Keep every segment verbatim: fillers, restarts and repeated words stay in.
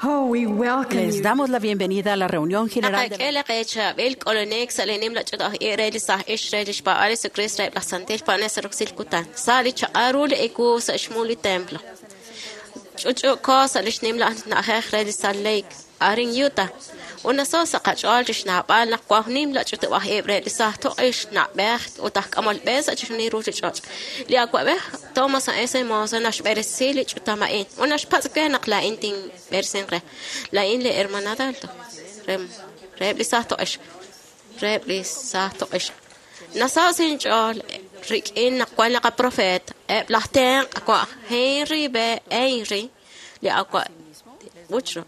Oh, we welcome Les you. damos la bienvenida a la reunión general de Naqak'e li qechaab'il k'olonek sa' li nimla ch'och aj re li saj ix re li xpaab'al Jesucristo reheb' laj Santil Paab'anel sa' roxil kutan. Sa' li chaq'al ru li ewu sa' xmu li templo. Ch'uch'u'ko sa' li xnimla na'ajej re li Salt Lake, arin Utah. Unaso sa' qach'ool chi xnaab'al naq waj nimla ch'utub' aj ib' re li saj toq'ix na'b'ej ut aj k'amol b'e sa' chixjunil ruchich'och'. Li awa'b'ej Thomas S. Monson naxb'eresi li ch'utam a'in. Unaxpatz' we naq laa'in tinb'eresin re. Laa'in li hermana Dalto. Rem reheb' li saj toq'ix. Reheb' li saj toq'ix. Nasaw sinch'ool rik'in naq wan li qaprofeet eb' laj tenq' wa' Henry B. Henry li awa' Woodrow.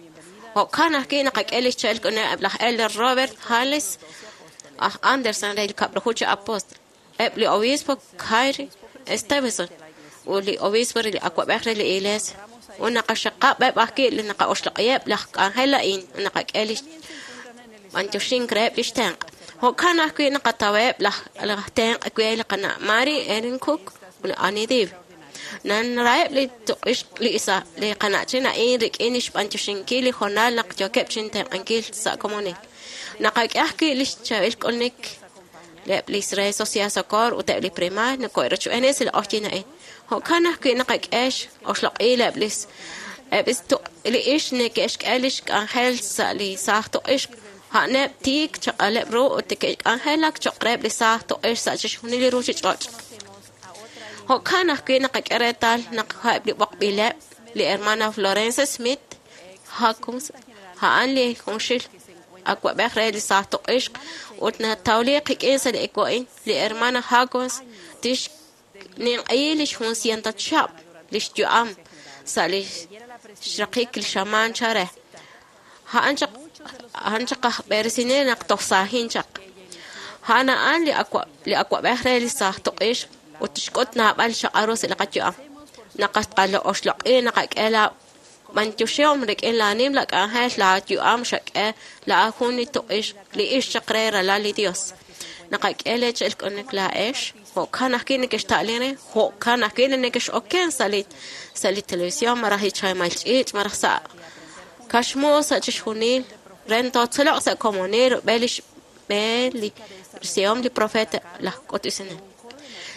Jo'kan ajwi' naqak'e li xcha'al k'une eb' laj Elder Robert Hales aj Anderson re li kab'laju chi apóstol. Eb' li obispo Kyrie Stevenson ut li obispo re li awa'b'ej re li iglesia. Ut naqaxaqab' eb' ajwi' li naqa'oxloq'iheb' laj k'anjel a'in ut naqak'e li b'antioxink reheb' li xtenq'. Jo'kan ajwi' naqataweb' laj laj tenq' we li qana' Mary Erin Cook ut li Annie Div. Nanraheb' li tuq'ix li isa li qana'chin a'in rik'in li xb'antioxinkil li hoonal naq yookeb' chintenq'ankil sa' komonil. Naqak'e ajwi' li xchaab'il k'ulunik eb' li re Sociedad Socorro ut eb' li primaar nako'rochb'eeni sa' li q'oqyin a'in. Jo'kan ajwi' naqak'e oxloq'il eb' li eb' li tuq' li ix neke'xk'e li xk'anjel sa' li saaj tuq'ix. A'aneb' tiik chaq'aleb' ru ut neke'k'anjelak cho'q reheb' li saaj tuq'ix sa' chixjunil li ruchich'och'. Jo'kan ajwi' naqak'e reetal naq eb' li b'oqb'ileb' li hermana Florence Smith Hawkins a'an li junxil awa'b'ej re li saaj tuq'ixq ut natawli qik'in sa' li ewu a'in. Li hermana Hawkins tixninq'i li jun ciento chihab' li xyu'am sa' li xraqik li xamaan chare. A'an chaq a'an chaq aj b'eresinel naq toj saajin chaq. A'an a'an li awa' li awa'b'ej re li saaj tuq'ix ut tixk'ut naab'al xaq'al ru sa' li qayu'am. Naqaqalo'oxloq'i naqak'e la b'antioxihom rik'in la nimla k'anjel la yu'am xak'e la jun li tuq'ix li ix chaq re ralal li Dios. Naqak'e le cha'al k'unik laa'ex jo'kan ajwi' neke'xta'lin re jo'kan ajwi' neke'x'oken sa' li sa' li televisión malaj li chamal ch'iich' malaj sa' kaxmu sa' chixjunil re ntotzoloq sa' komonil rub'el li xb'e li xsihom li profeta laj k'utusinel.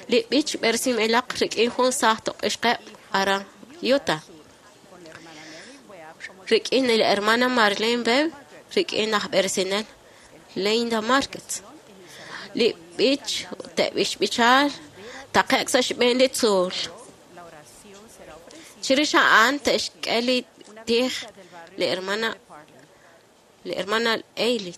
Li b'ich b'eresinb'ilaq rik'in jun saaj tuq'ixqeb' aran Utah. Rik'in li hermana Marlene Webb rik'in aj b'eresinel Linda Marquez. Li b'ich te'b'ixb'ichal taqe'k sa' xb'een li tzuul. Chirix a'an te'xk'e li tij li hermana li hermana Ailey.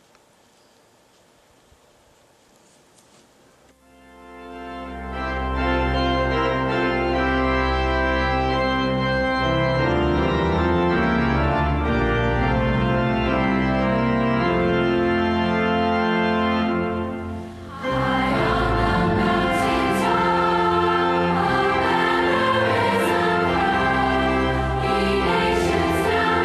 Nations now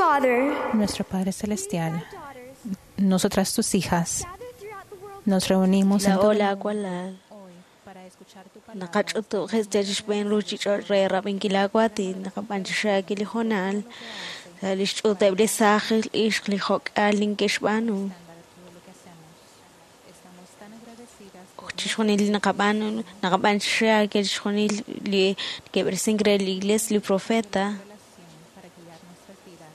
Father, Nuestro Padre Celestial, nosotras tus hijas, nos reunimos en Laa'o todo el laawalal hoy para escuchar tu palabra. naqach'utu'jes yal xb'een ruuchich'och' re rab'inkil aawatin naqab'anchixaakil li hoonal sa' li xch'uuteb' li saaj ixq li jok'al ninke'xb'aanu Todo lo que hacemos. Estamos tan agradecidas por chixjunil li naqab'aanu naqab'anchixaakil chixjunil li neke'b'eresink re li iglesia li profeta relación para guiar nuestras vidas.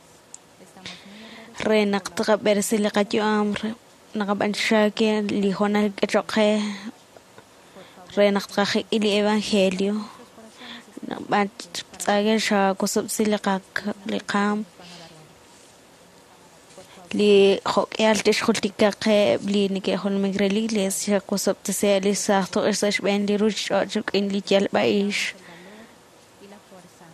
Estamos muy agradecidas re naq tqab'eresi li qayu'am re- naqab'anchixaakil li hoonal k'echoq qe re naq tqajek'i li evangelio naqb'antz'aakil xakusub'si li qa- li qaam li jok'ihal tixjultika qe li neke'jolomink re li iglesia xakusub'tisi li saaj to'ex sa' xb'een li ruuchich'och' rik'in li yalb'a'ix y la fuerza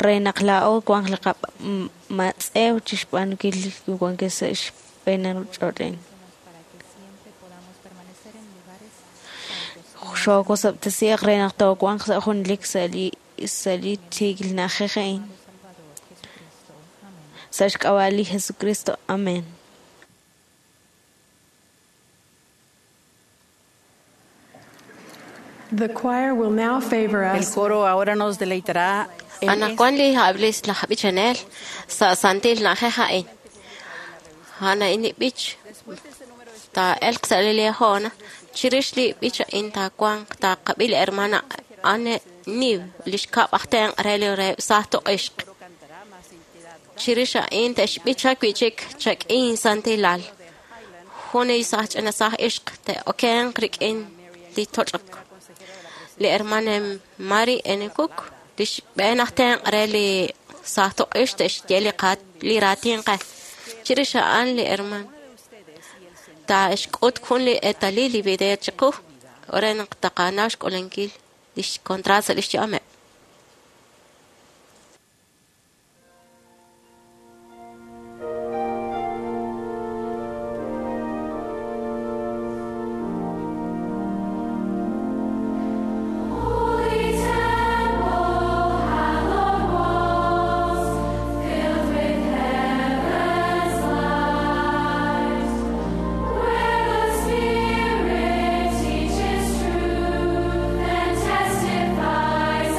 re naq laa'o wanq li qamatz'ew chixb'aanunkil li wankil sa' xb'een li ruuchich'och' a'in. para que siempre podamos permanecer en lugares santos. Xookusub'tisiiq re naq toowanq sa' junlik sa' li sa' li tiikil na'ajej a'in Salvador Jesucristo. Amén. sa' xk'ab'a' li Jesucristo. Amén. The choir will now favor El us coro ahora nos deleitará en Anaqwan li hab'lis laj b'ichanel sa' santil na'ajej a'in. A'an a'in li b'ich taa'elq sa' li Liahona. Chirix li b'ich a'in taawanq taaqab'i li hermana Anne Niv li xkab' aj tenq' re li reheb' saaj toq'ixq. Chirix a'in te'xb'icha wi'chik chak'in santilal. Jun li saaj ch'ina saaj ixq te'okenq rik'in li toch'ok. Li hermana Mary N. Cook li xb'een aj tenq' re li saaj toq'ix te'xye li qa- li raatin qe. Chirix a'an li herman taa'xk'ut jun li eetalil li video chiqu re naq taqanaw xk'ulankil lix contrato sa' lix yu'ameb'. Holy temple, hallowed walls, filled with heaven's light, where the Spirit teaches truth and testifies.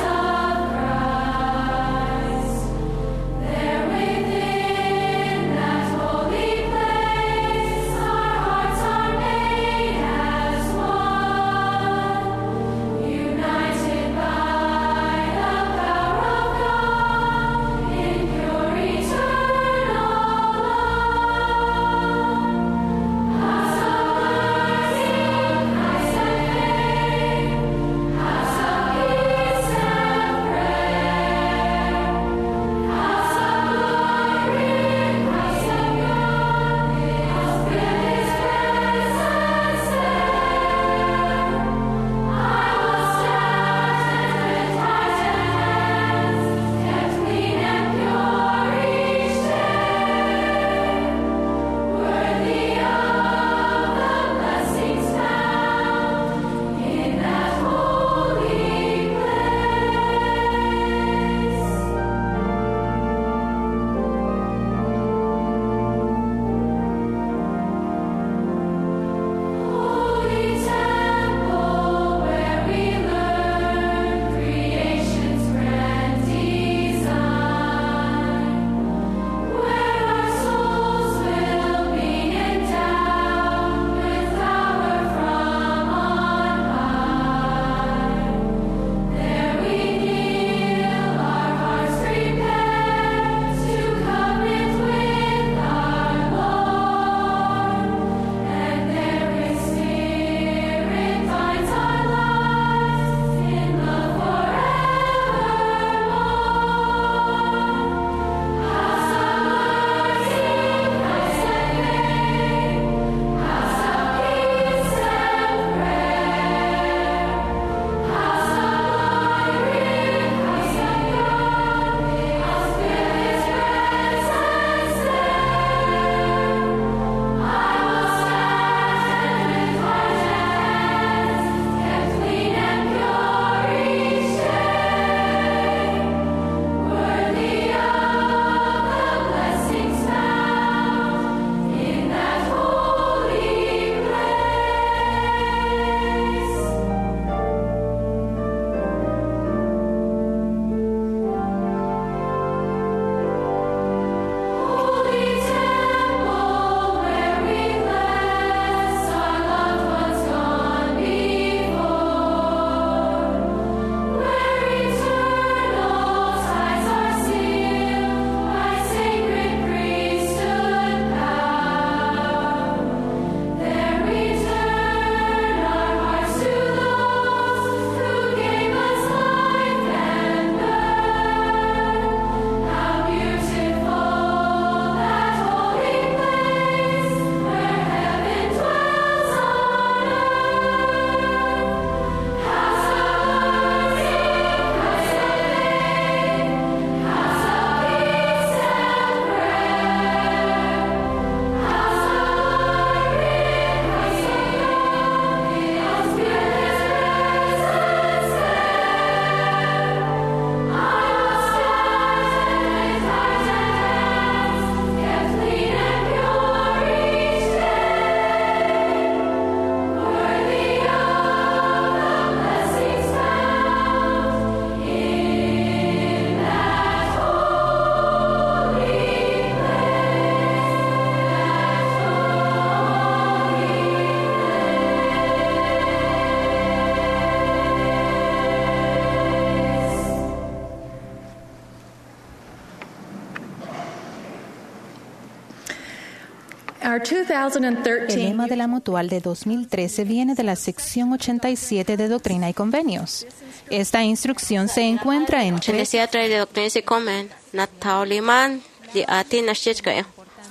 Our El dos mil trece lema de la Mutual de dos mil trece viene de la sección ochenta y siete de Doctrina y Convenios. Esta instrucción se encuentra en tres ochenta y siete re li Doctrina y Convenios natawliman li aatin naxye chi ka'in.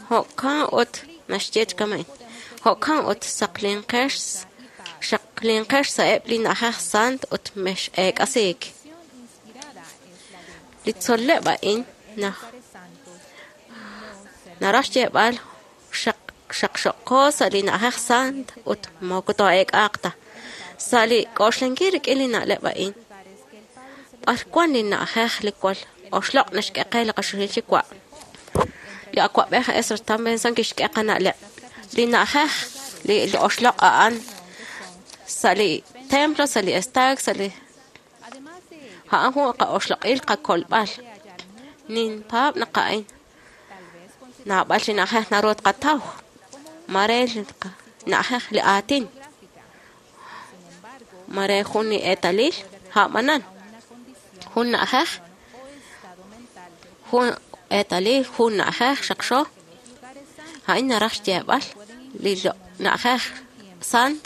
Jo'kan ut naxye chi kama'in. Jo'kan ut saqlinqex xaqlinqex sa'eb' li na'ajej sant ut mex'eek'asiik. Li tzol'leb' a'in naj naraj xyeeb'al xaq xaqxoqo sa' li na'ajej sant ut moko too'eek'aaq ta. Sa' li k'oxlankil rik'in li na'leb' a'in, b'ar wan li na'ajej li jwal oxloq' naxk'e qe li qaxuxil yuwa'? Li awa'b'ej Ezra Taft Benson kixk'e qana'leb'. Li na'ajej li li oxloq' a'an sa' li templo, sa' li estaak, sa' li a'an jun qa'oxloq'il qakolb'al. Ninpaab' naq a'in naab'al chi na'ajej naru tqataw. Mare li na'ajej li aatin. Mare jun li eetalil a'b'anan. Jun na'ajej, jun eetalil, jun na'ajej xaqxo. A'in naraj xyeeb'al li na'ajej sant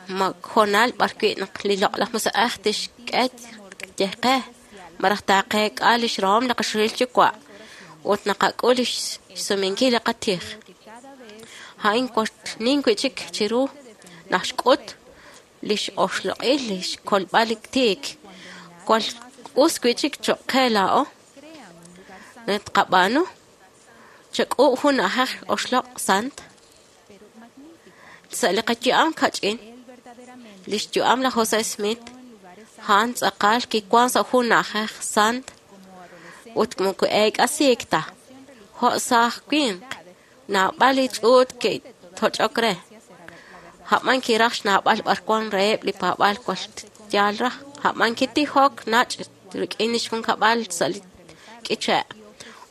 ma hoonal b'ar wi' naq li loq'laj musiq'ej tixk'e ye qe malaj taaqeek'a lix rahom li qaxuxil yuwa' ut naqak'ul lix xsumenkil li qatij. A'in nin wi'chik chiru naq xk'ut lix oxloq'il lix kolb'al li tiik. Jwal us wi'chik choq' qe laa'o naq tqab'aanu chak'uub' jun na'ajej oxloq' sant sa' li qayu'am kach'in. Lix yu'am laj Jose Smith a'an tz'aqal kiwan sa' jun na'ajej sant ut moko eek'asiik ta. Jo' saaj winq, naab'al li ch'uut ke'toch'ok re. A'b'an kiraj xnawb'al b'ar wan reheb' li paab'aal jwal yaal raj. A'b'an kitijok nach' rik'in lix junkab'al sa' li k'iche'.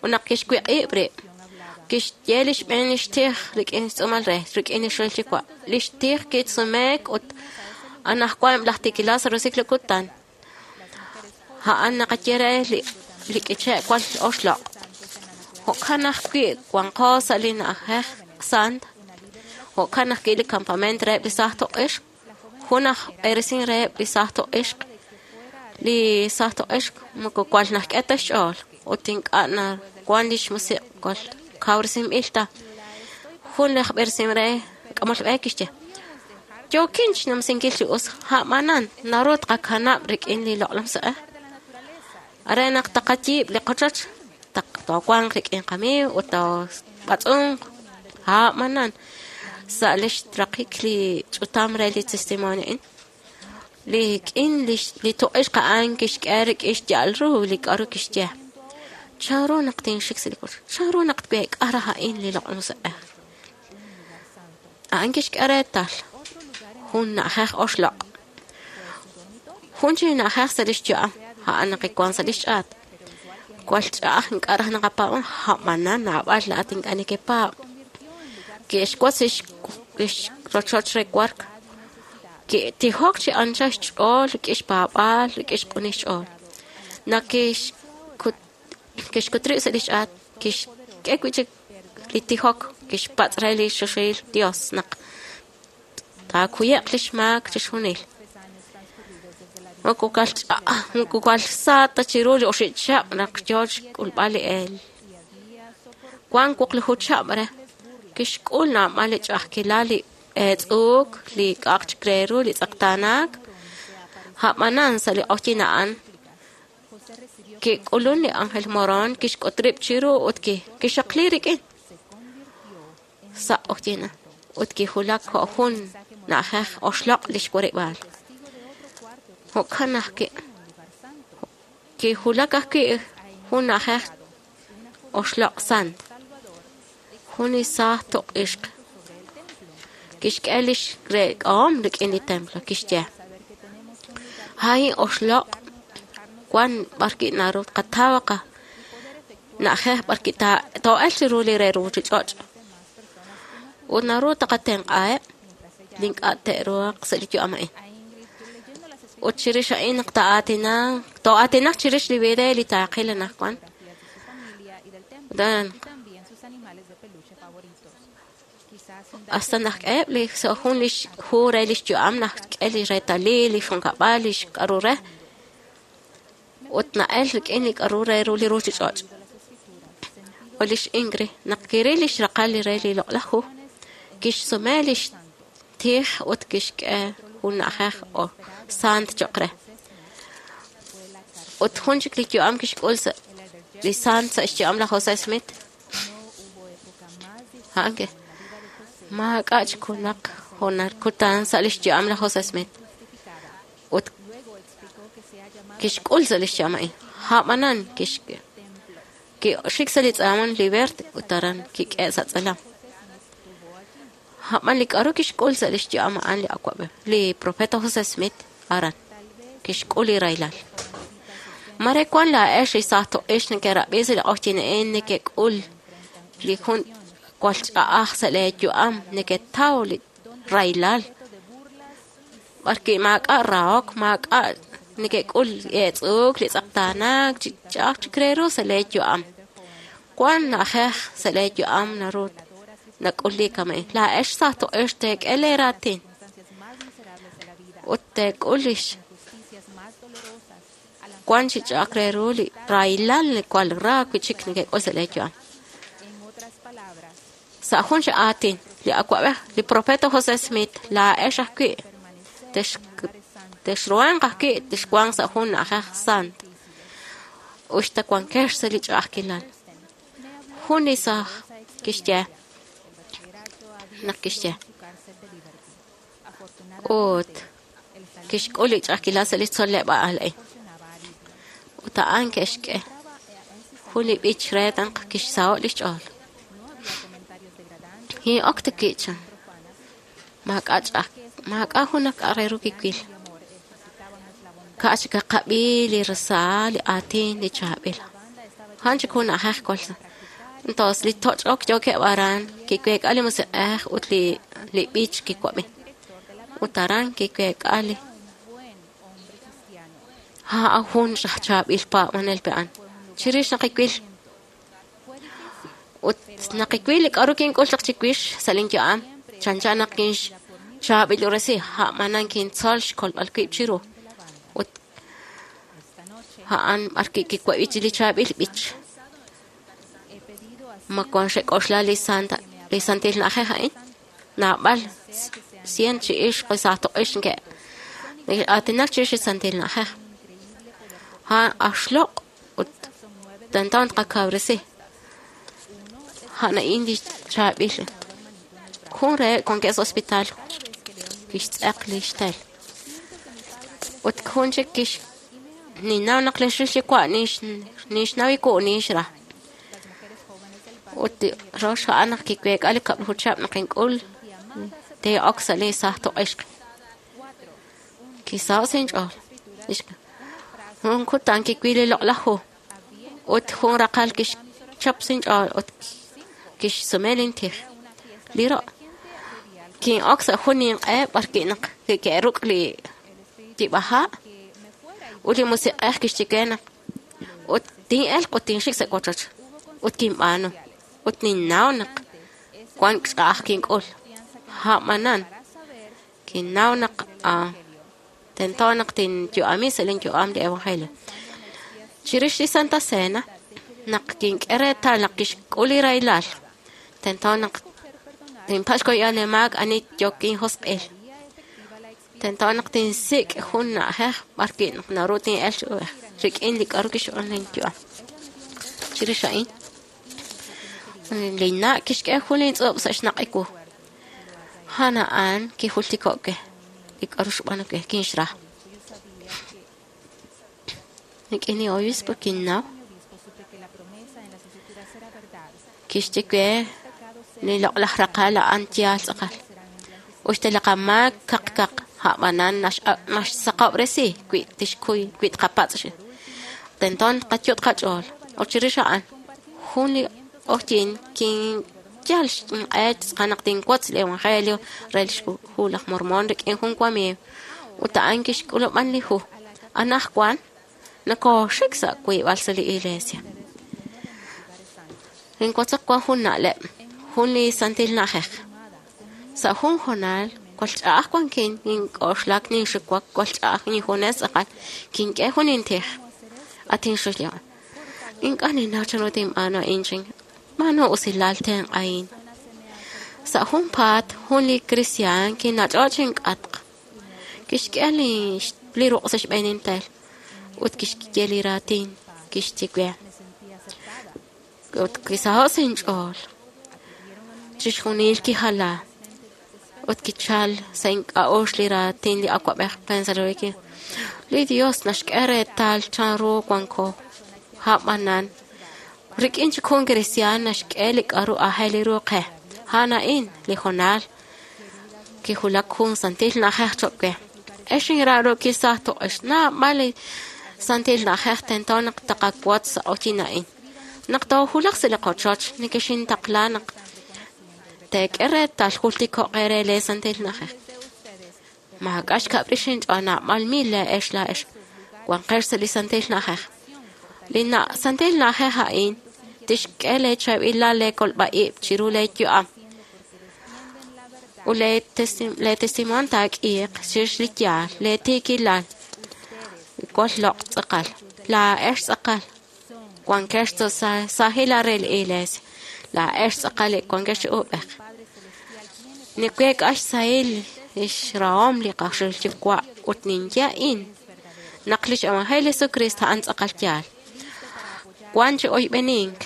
Ut naq kixwiq'ib' rib', kixye li xb'een lix tij rik'in xtz'uumal re, rik'in li xril yuwa'. Lix tij kisumeek ut anaqwan eb' laj tiikilal sa' roso'jik li kutan. A'an naqaye re li li k'iche' jwal oxloq'. Jo'kan ajwi' wanqo sa' li na'ajej sant. Jo'kan ajwi' li campamento reheb' li saaj tuq'ixq. Jun aj b'eresin reheb' li saaj tuq'ixq. Li saaj tuq'ixq moko jwal naxk'e ta xch'ool ut ink'a' nawan lix musiq' jwal kawresinb'il ta. Jun laj b'eresin re k'amol b'e kixye: Yookin xnumsinkil chi us, a'b'anan naru tqakanab' rik'in li loq'laj musiq'ej. Are naq taqayiib' li qochoch, toowanq rik'in qamiiw ut toob'atz'unq. A'b'anan sa' lix raqik li ch'utam re li testimonio a'in, li k'in li tuq'ixq a'an kixk'e rik'in xya'al ru li k'a'ru kixye. Chanru naq tinxik sa' li wochoch? Chanru naq tweek'a raj a'in li loq'laj musiq'ej? A'an kixk'e reetal jun na'ajej oxloq'. Jun chi na'ajej sa' lix yu'am, a'an naq kiwan sa' lix ch'aat. Jwal ch'a'aj ink'a' raj naqapaab'an, a'b'anan naab'al laa'at ink'a' nekepaab'. Ke'xwotz lix lix rochoch re wark. Ke'tijok chi anchal xch'ool rik'in xpaab'aal, rik'in xq'unil xch'ool. Naq kixkut kixkut rib' sa' lix ch'aat, kixk'e wi'chik li tijok, kixpatz' re li xoxohil Dios naq taakuye'q lix maak chixjunil. Moko jwal ch'a'aj, moko jwal sa ta chiru li oxib' chihab' naq yoo xk'ulb'al li eel. Wan wuqlaju chihab' re. Kixk'ul naab'al li ch'a'ajkilal, li eetz'uuk, li k'a'aq chik re ru, li tz'eqtaanaak. A'b'anan sa' li q'oqyink a'an, kik'ulun li ángel Moroni, kixk'ut rib' chiru ut kixaqli rik'in sa' q'oqyink ut kiwulak jo' jun na'ajej oxloq' lix warib'aal. Jo'kan ajwi' kiwulak ajwi' jun na'ajej oxloq' sant. Jun li saaj tuq'ixq kixk'e lix reek'ahom rik'in li templo, kixye: A'in oxloq' wan b'ar wi' naru tqataw qana'ajej b'ar wi' too'elq chiru li re ruchich'och' ut naru taqatenq'aheb' li ink'a' te'ruhaq sa' li yu'am a'in. Ut chirix a'in naq taa'aatinaq too'aatinaq chirix li video li taaqil anaqwan. Hasta naq k'eheb' li sa' jun lix hu re lix yu'am naq k'e li reetalil, li junkab'al, lix k'a'ru re, ut na'el rik'in li k'a'ru re ru li ruchich'och'. Ut lix Ingrid naq kiril lix raqal li re li loq'laj hu, kixsume lix tij ut kixk'e jun na'ajej o sant cho'q re. Ut jun chik li yu'am kixk'ul sa' li sant sa' xyu'am laj Jose Smith. A'an ke maak'a' chik junaq hoonal kutan sa' lix yu'am laj Jose Smith. Ut kixk'ul sa' lix yu'am a'in. A'b'anan kixk'e kixik sa' li tz'alam Liberty ut aran kik'e' sa' tz'alam. A'b'an li k'a'ru kixk'ul sa' lix yu'am a'an li awa'b'ej, li profeta Jose Smith aran kixk'ul li rahilal. Mare wan laa'ex li saaj to'ix nekerab'i sa' li q'oqyink a'in nekek'ul li jun jwal ch'a'aj sa' lee yu'am neketaw li rahilal. B'arwi' maak'a' rahok, maak'a' nekek'ul eetz'uuk, li tz'eqtaanaak, chi ch'a'aj chik re ru sa' lee yu'am. Wan na'ajej sa' lee yu'am naru nak'ul li kama'in. Laa'ex saaj to'ix teek'e lee raatin ut teek'ul lix wan chi ch'a'aj re ru li rahilal li jwal ra wi'chik nekek'ul sa' lee yu'am. Sa' jun chi aatin, li awa'b'ej, li profeta Jose Smith, laa'ex ajwi' tex texruhanq ajwi' texwanq sa' jun na'ajej sant. Uxta wankex sa' li ch'a'ajkilal. Jun li saaj kixye naq kixye. Ut kixk'ul li ch'a'ajkilal sa' li tzoleb'aal a'in. Ut a'an ke'xk'e jun li b'ich re naq kixsaho' lix ch'ool. Kin'ok ta ki'chan. Maak'a' ch'a'aj, maak'a' jun k'a' re ru kiwil. Ka' chik qab'i li rasaal, li aatin, li chaab'il. A'an chik jun na'ajej jwal sa. Entonces li toch'ok yookeb' aran kiweek'a li musiq'ej ut li li b'ich kiwab'i. Ut aran kiweek'a li a'an jun chaab'il paab'anel pe a'an. Chirix naq kiwil ut naq kiwil li k'a'ru kink'ul chaq chiwix sa' lin yu'am, chanchan naq kinxchaab'ilob'resi, a'b'anan kintzol xkolb'al wib' chiru. Ut a'an b'arwi' kiwab'i li chaab'il b'ich. Ma wan xek'oxla li santa li santil na'ajej a'in? Naab'al cien chi ixq saaj to'ix nke aatinak chirix li santil na'ajej. A'an axloq' ut tento tqakawresi. A'an a'in li chaab'il. Jun reheb' wankeb' sa' hospital kixtz'eq lix tel. Ut jun chik kix ninnaw naq lix yuwa' nix nixnaw iku' nixra. Ut rox a'an naq kiweek'a li kab'laju chihab' naq ink'ul te'ok sa' li saaj to'ixq. Kisaho' sa' inch'ool. Jun kutan kiwil li loq'laj hu. Ut jun raqal kixchap sa' inch'ool ut kixsume lin tij. Li ro' kin'ok sa' jun ninq'e b'arwi' naq ke'ruk' li tib'aja' ut li musiq'ej kixye we naq ut tin'elq ut tinxik sa' wochoch. Ut kinb'aanu. Ut ninnaw naq wan ch'a'aj kink'ul. A'b'anan kinnaw naq tento naq tinyu'ami sa' lin yu'am li evangelio. Chirix li Santa Cena, naq kink'e reetal naq kixk'ul li rahilal, tento naq tinpatz' xkuyb'al li maak ani yookin josq'il. Tento naq tinsik' jun na'ajej b'arwi' naq naru tin'elq chi ub'ej rik'in li k'a'ru kixb'aan lin yu'am. Chirix a'in, lin na' kixk'e jun lin tz'ub' sa' xnaq' iwu. A'an a'an kijultiko' we li k'a'ru xb'aanu we kinxra. Rik'in li obispo kinnaw kixye we li loq'laj raqal a'an yaal tz'aqal. Uxta li qamaak kaq kaq a'b'anan naxsaqob'resi wi tixkuy wi tqapatz'. Tento tqayut' qach'ool. Ut chirix a'an jun li q'oqyink kinyal inq'e tz'aqal naq tinwotz li evangelio re lix hu laj Mormon rik'in jun wamiiw. Ut a'an kixk'ulub'an li hu. Anajwan nakooxik sa' wiib'al sa' li iglesia. Ninwotzok wan jun na'leb', jun li santil na'ajej. Sa' jun hoonal jwal ch'a'aj wankin nink'oxlak ninxiwak jwal ch'a'aj injunes tz'aqal kink'e jun intij. At inxulya. Ink'a' ninnaw chanru tinb'aanu a'in chin. B'aanu usilal tenq'ahin. Sa' junpaat jun li kristiaan kinach'o' chink'atq. Kixk'e li li ruq' sa' xb'een intel ut kixye li raatin kixye we. Ut kisaho' sa' inch'ool. Chixjunil kijala. Ut kichal sa' ink'a'uxl li raatin li awab'ej Pennsylvania. Li Dios naxk'e reetal chanru wanko. A'b'anan rik'in chik jun kristiaan naxk'e li k'a'ru aajel ru qe. A'an a'in li hoonal kijulak jun santil na'ajej choq' we. Ex inra'ruukil saaj toq'ex naab'al li santil na'ajej tento naq taqawotz sa' q'oqyin a'in. Naq toojulaq sa' li qochoch nekexintaqla naq teek'e reetal jultiko'q eere lee santil na'ajej. Maak'a' xkab' rix inch'ool naab'al mil lee'ex laa'ex wanqex sa' li santil na'ajej. Li na' santil na'ajej a'in tixk'e lee chaab'ilal lee kolb'a-ib' chiru lee yu'am. Ut lee testi- lee testimonio taak'iiq chirix li yaal, lee tiikilal, jwal loq' tz'aqal. Laa'ex tz'aqal wankex sa' saajilal re li iglesia. Laa'ex tz'aqal li wankex chi uub'ej. Niweek'a xsahil lix rahom li qaxul Yuwa' ut ninye a'in naq lix evangelio Jesucristo a'an tz'aqal yaal. Wan chi oyb'enink,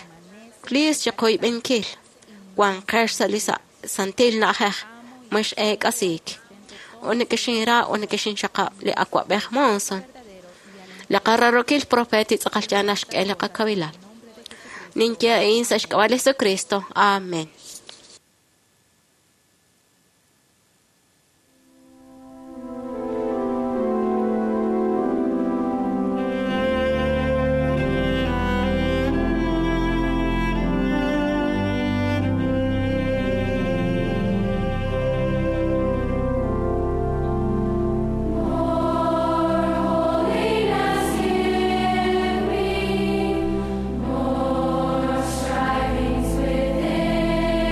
please chi qoyb'enkil. Wanqex sa' li sa- santil na'ajej mix eek'asiik. Ut nekexinra ut nekexinxaqab' li awab'ej Monson. Li qararokil profeet tz'aqal yaal naxk'e li qakawilal. Ninye a'in sa' xk'ab'a' li Jesucristo. Amén. Holiness give me, more strivings within.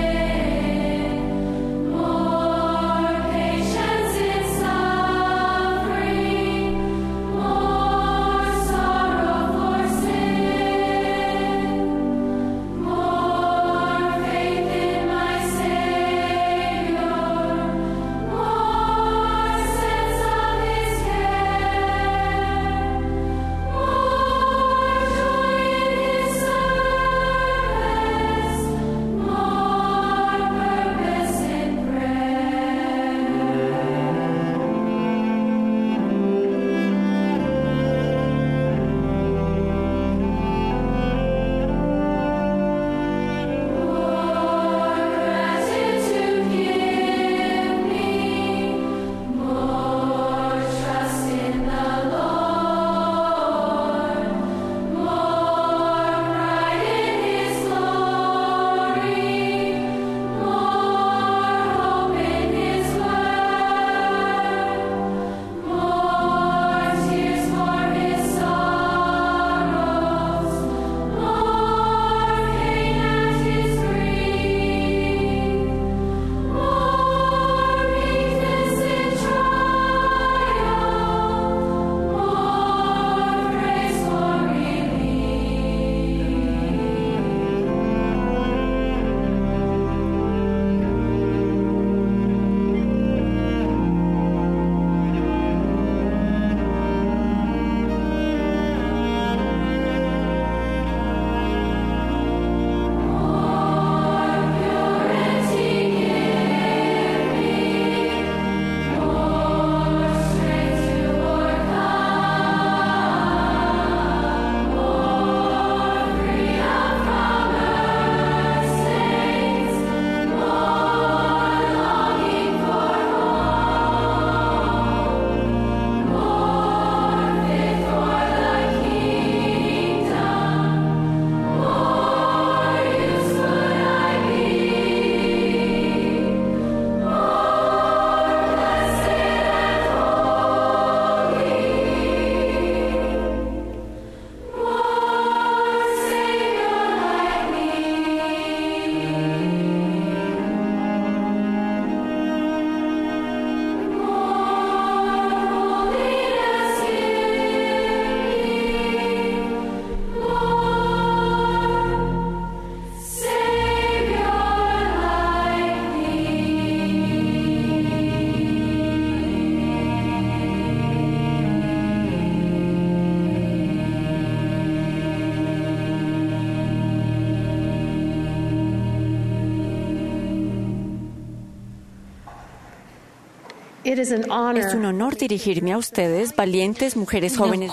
It is an honor. Es un honor dirigirme a ustedes, valientes mujeres jóvenes.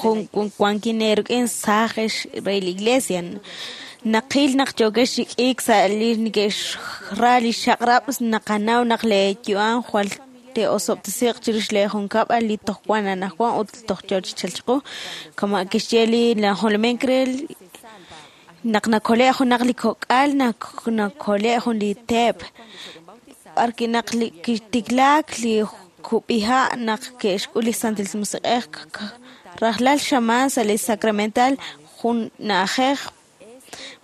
Wankin rik'in saaj re la iglesia. Naqil naq yokex xik'ik sa' li neke'xra li xaq'rab' naqanaw naq leeyu'am jwal te'osob'tesiq chirix leejunkab'al li toj wan anaqwan ut toj yoo chi chalk chiqu. Kama' kixye li najolomin re naq nakole' junaq li kok'al nakole' jun li teep. B'arwi' naq kitiklaak li kub'iha' naq ke'xk'ul li Santil Musiq'ej rajlal xamaan sa' li sacramental jun na'ajej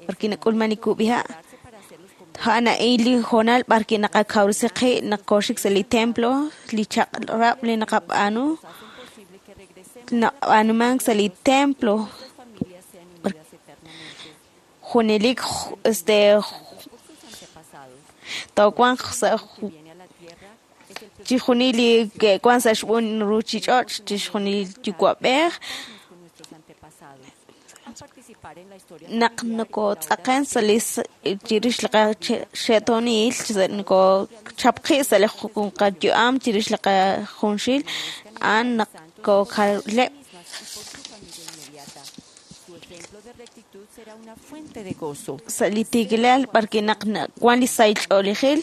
b'arwi' nak'ulman li kub'iha'. A'an a'in li hoonal b'arwi' naqakawresi qib' naq kooxik sa' li templo li chaq'rab' li naqab'aanu nab'aanumank sa' li templo junelik este toowanq sa' chixjunil li ke'wan sa' xb'een ruuchich'och' chixjunil yuwa'b'ej naq nokotz'aqen sa' li chirix li qaxe'toonil nokochap qib' sa' li qayu'am chirix li qajunxil a'an naq kokaleb' sa' li tiikilal b'arwi' naq wan li sahil ch'oolejil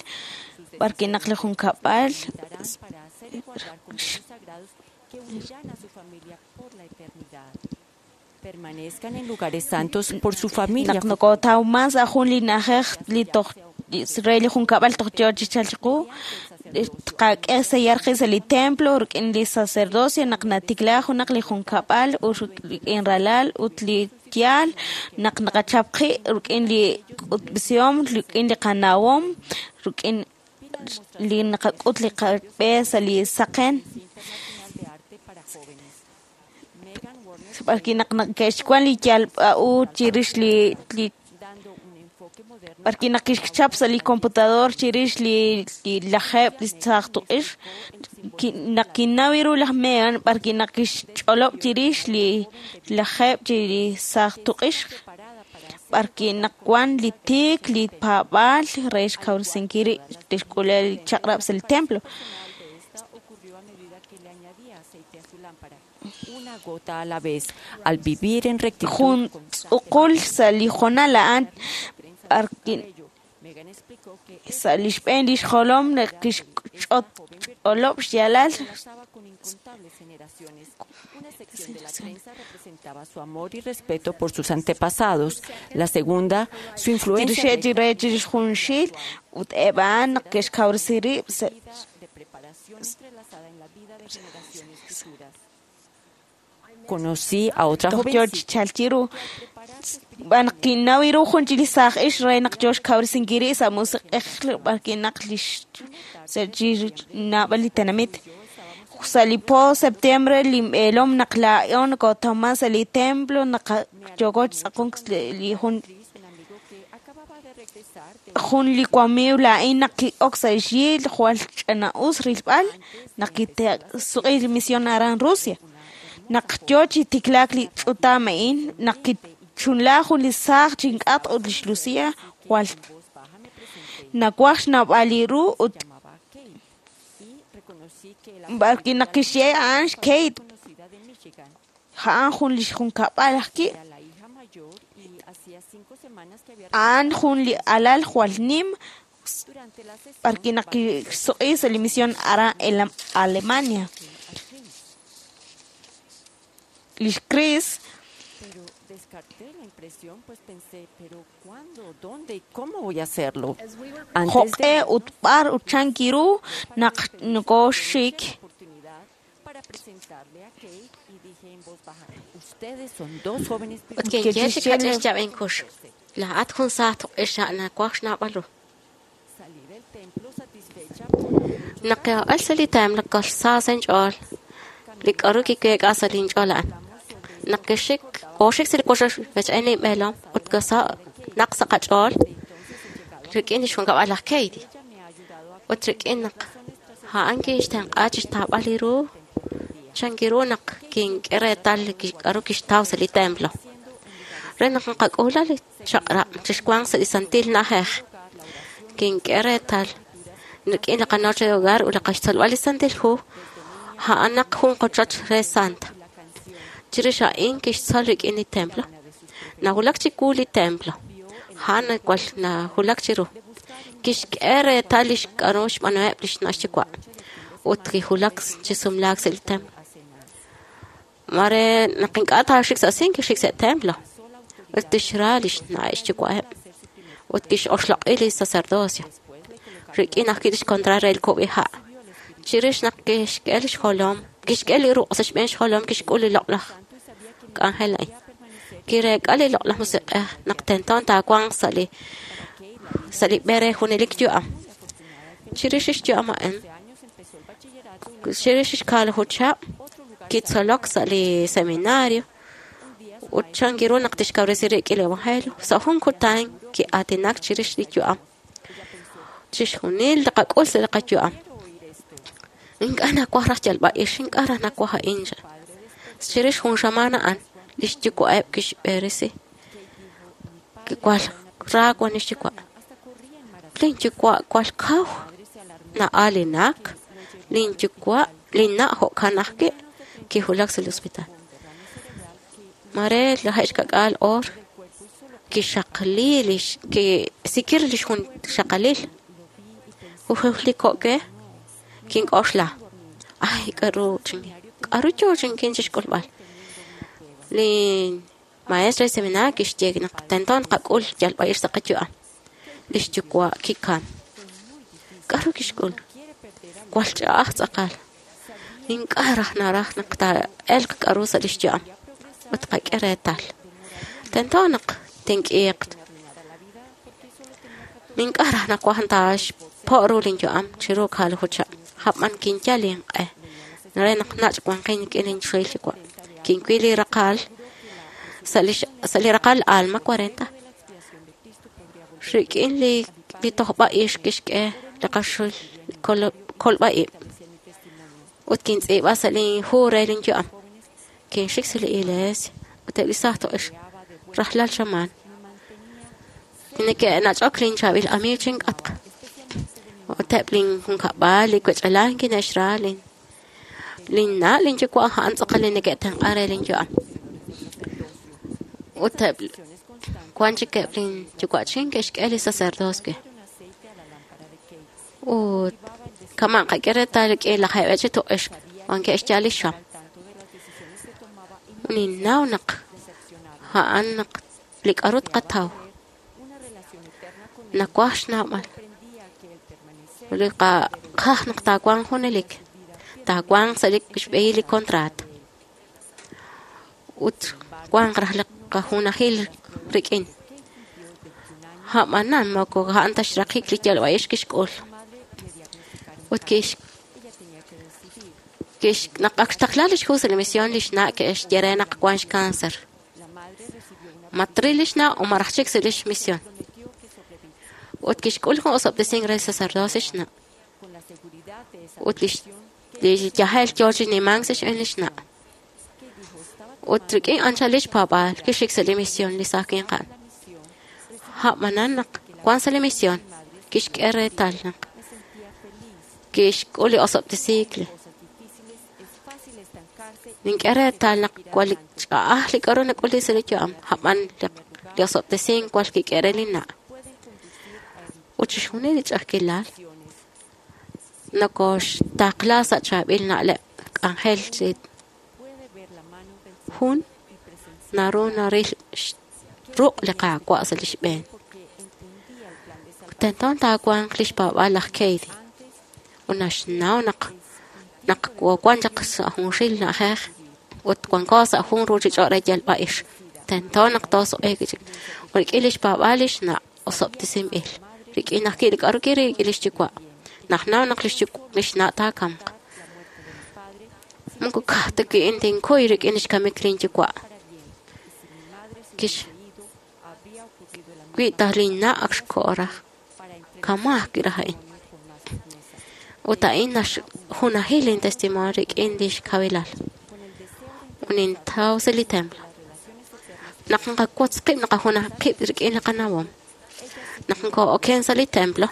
b'arwi' naq li junkab'al Permanezcan en lugares santos por su familia. Naq nokotawman sa' jun li na'ajej li toj re li junkab'al toj yoo chi chalk chiqu tqak'e sellar qib' sa' li templo rik'in li sacerdocio naq natikla junaq li junkab'al ut rik'in ralal ut li yaal naq naqachap qib' rik'in li k'utb'esihom rik'in li qanawom rik'in li naqak'ut li qab'e sa' li saqen b'arwi' naq ke'xwan li yalb'a'u chirix li li b'arwi' naq kixchap sa' li computador chirix li li lajeeb' li saaj tuq'ix naq kinnaw ru laj Megan b'arwi' naq kixch'olob' chirix li lajeeb' chi li saaj tuq'ix b'arwi' naq wan li tiik li paab'aal re xkawresinkil rib' tixk'ule' li chaq'rab' sa' li templo. Una gota a la vez, al vivir en rectitud. Jun tz'uqul sa' li hoonal a'an b'arwi' sa' li xb'een li xjolom naq kixch'olob' xyaalal Una sección de la trenza representaba su amor y respeto por sus antepasados. La segunda, su influencia. Chirix re chirix junxil ut eb' a'an naq ke'xkawresi rib' sa' de preparación entrelazada en la vida de generaciones futuras. Conocí a otra toj yoo chi chalk chiru b'an kinnaw ru jun chi li saaj ix re naq yoo xkawresinkil rib' sa' musiq'ej b'arwi' naq lix sa' chi naab'al li tenamit sa' li po septiembre linb'eelom naq laa'o nokotawman sa' li templo naq yooko chi tz'aqonk li jun jun li wamiiw laa'in naq ki'ok sa' xyi jwal ch'ina'us rilb'al naq kisuq'i li misión aran Rusia naq yoo chi tiklaak li ch'utam a'in naq kichunla jun li saaj chink'atq ut lix Lucia jwal nawaj xnawb'al li ru ut b'arwi' naq kixye a'an xKate a'an jun li junkab'al ajwi' a'an jun li alal jwal nim b'arwi' naq kisuq'i sa' li misión aran Alemania lix Chris Pero descarté la impresión, pues pensé, pero ¿cuándo, dónde y cómo voy a hacerlo? Antes joq'e de ut b'ar ut chan kiru naq nokooxik oportunidad para presentarle a Kate y dije en voz baja, ustedes son dos jóvenes Ut kinye chi kach'ix yab'en kux. Laa'at jun saaj tuq'ix nawaj xnawb'al ru. Salí del templo satisfecha por Naq ke'o'el sa' li templo kol saa sa' inch'ool li k'aru kiweek'a sa' linch'ool a'an. Naq kixik kooxik sa' li wochoch rech'een linb'eelom ut kasa' naq sa' qach'ool rik'in li xjunkab'al laj Katie. Ut rik'in naq a'an kinxtenq'a chixtawb'al li ru chan kiru naq kink'e reetal li k'aru kixtaw sa' li templo. Re naq naqak'uula li chaq'rab' chixwanq sa' li santil na'ajej kink'e reetal Rik'in li qanoche de hogar ut li qaxtzolb'al li Santil Hu, a'anaq jun qochoch re santa. Chirix a'in kixtzol rik'in li templo. Nawulak chiwu li templo. A'an wal nawulak chiru. Kixk'e reetal lix k'a'ru xb'aanuheb' lix na' xyuwa' ut kiwulak chi sumlaak sa' li templo. Mare naq ink'a' taaxik sa' sin kixik sa' templo. Ut tixra lix na' xyuwa'eb' ut kix'oxloq'i li sacerdocio. Rik'in ajwi' lix kontra re li kub'iha'. Chirix naq kixk'e lix jolom, kixk'e li ruq' sa' xb'een xjolom kixk'ul li loq'laj k'anjel a'in. Kireek'a li loq'laj musiq'ej naq tento taawanq sa' li sa' li b'e re junelik yu'am. Chirix xyu'am a'in, chirix xkaalaju chihab', kitzolok sa' li seminario ut chan kiru naq tixkawresi rik'in li evangelio. Sa' jun kutan ki'aatinak chirix li yu'am. Chixjunil li qak'ul sa' li qayu'am. Ink'a' nawaj raj yalb'a'ix, ink'a' raj nawaj a'in. Chirix jun xamaan a'an, lix yuwa'eb' kixb'eresi. Kiwal ra wan lix yuwa'. Lin yuwa' wal kaw na'aalinak. Lin yuwa' lin na' jo'kan ajwi' kiwulak sa' li hospital. Mare lajeeb' xka'k'aal oor kixaqli lix kisikir lix jun xaqalil. Ujultiko'ke kink'oxla. Ay, k'a'ru chin k'a'ru yoo chinkin chixk'ulb'al. Li maestro de seminario kixye naq tento naqak'ul yalb'a'ix sa' qayu'am. Lix yuwa' kikam. K'a'ru kixk'ul? Wal ch'a'aj tz'aqal. Ink'a' raj naraj naq taa'elq k'a'ru sa' lix yu'am. Ut qak'e reetal. Tento naq tink'iiq. Ink'a' raj nawaj taaxpo' ru lin yu'am chiru kaalaju chihab'. Hab'an kinyal inq'e. Re naq nach' wanqin rik'in lin xril yuwa'. Kinwil li raqal sa' li sa' li raqal Alma cuarenta. Rik'in li li tojb'a'ix kixk'e li qaxul kolb'a'ib'. Ut kintz'iib'a sa' lin hu re lin yu'am. Kinxik sa' li iglesia ut eb' li saaj to'ex rajlal xamaan. Neke'nach'ok lin chaab'il amiiw chink'atq. Ut eb' lin junkab'al li wech'alal kine'xra lin lin na' lin yuwa' a'an tz'aqal li neke'tenq'an re lin yu'am. Ut eb' wan chik eb' lin yuwa'chin ke'xk'e li sacerdocio. Ut kama' qak'e reetal rik'in lajeeb' chi tuq'ix wan ke'xyal li xam. Ninnaw naq a'an naq li k'a'ru tqataw. Nawaj xnawb'al. Li qaj naq taawanq junelik. Taawanq sa' li xb'ehil li contrato. Ut wanq raj li qajunajil rik'in. A'b'anan moko a'an ta xraqik li yalb'a'ix kixk'ul. Ut kix kix naq ak xtaqla lix hu sa' li misión lix na' ke'xye re naq wan xcáncer. Matril lix na' o maraj chik sa' lix misión. Ut kixk'ul jun osob'tesink re sacerdocio xna'. Ut lix li yajel yoo chi nimank sa' xb'een lix na'. Ut rik'in anchal lix paab'aal kixik sa' li misión li saaj winqan. A'b'anan naq wan sa' li misión kixk'e reetal naq kixk'ul li osob'tesiik li. Nink'e reetal naq wal li ch'a'aj li k'a'ru nak'uli sa' li yu'am, a'b'an li osob'tesink wal kik'e re li na'. Ut chixjunil li ch'a'ajkilal nokoxtaqla sa' chaab'il na'leb' k'anjel chi jun naru naril ruq' li Qaawa' sa' lix b'een. Tento taawanq lix paab'aal laj Keidi. Ut naxnaw naq naq wan chaq sa' junxil na'ajej ut wanko sa' jun ruuchich'och' re yalb'a'ix. Tento naq toosuq'iiq chik. Ut rik'in lix paab'aal lix na' osob'tesinb'il. Rik'in ajwi' li k'a'ru kiril rik'in lix yuwa'. Najnaw naq lix lix na' taakamq. Moko ka'aj ta wi' tinkuy rik'in lix kamik lin yuwa'. Kix wi' ta lin na' ak xko'o raj. Kama' ajwi' raj a'in. Ut a'in naxjunajil lin testimonio rik'in lix kawilal. Ut nintaw sa' li templo. Naq nqawotz qib' naqajunaj qib' rik'in li qanawom. Naq nko'oken sa' li templo,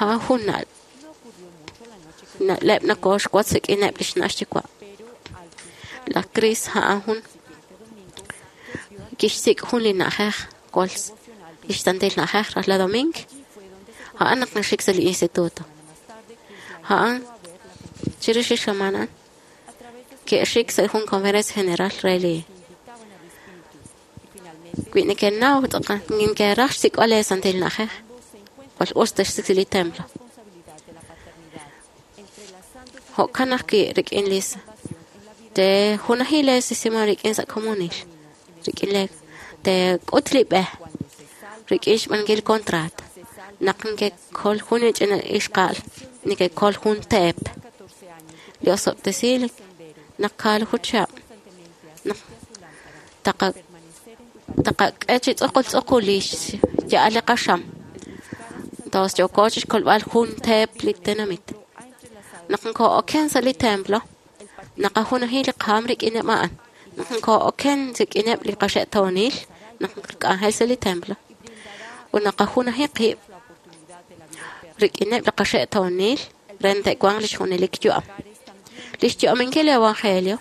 A'an jun na'leb' nokoxwotz rik'ineb' lix na' xyuwa'. Laj Chris a'an jun kixsik' jun li na'ajej jwal lix santil na'ajej rajlal domingo. A'an naq naxik sa' li instituto. A'an chirix li xamaan a'an ke'xik sa' jun conferencia general re li wi nekenaw tz'aqal nekeraj xsik'b'al lee santil na'ajej jwal us texsik sa' li templo. Jo'kan ajwi' rik'in li tejunaji lee sisima rik'in sa' komonil rik'in lee teek'ut li b'e rik'in xb'aanunkil contrato naq nekekol jun li ch'ina ixqa'al nekekol jun teep li osob'tesiil naq kaalaju chihab' naq taqa taqak'e chi tz'uqul tz'uqul li xya'al li qaxam tos yooko chixkolb'al jun teep li tenamit naq nko'oken sa' li templo naqajunaji li qaam rik'ineb' a'an naq nko'oken rik'ineb' li qaxe'toonil naq nqak'anjel sa' li templo ut naqajunaji qib' rik'ineb' li qaxe'toonil re te'wanq lix junelik yu'am. Lix yu'aminkil li evangelio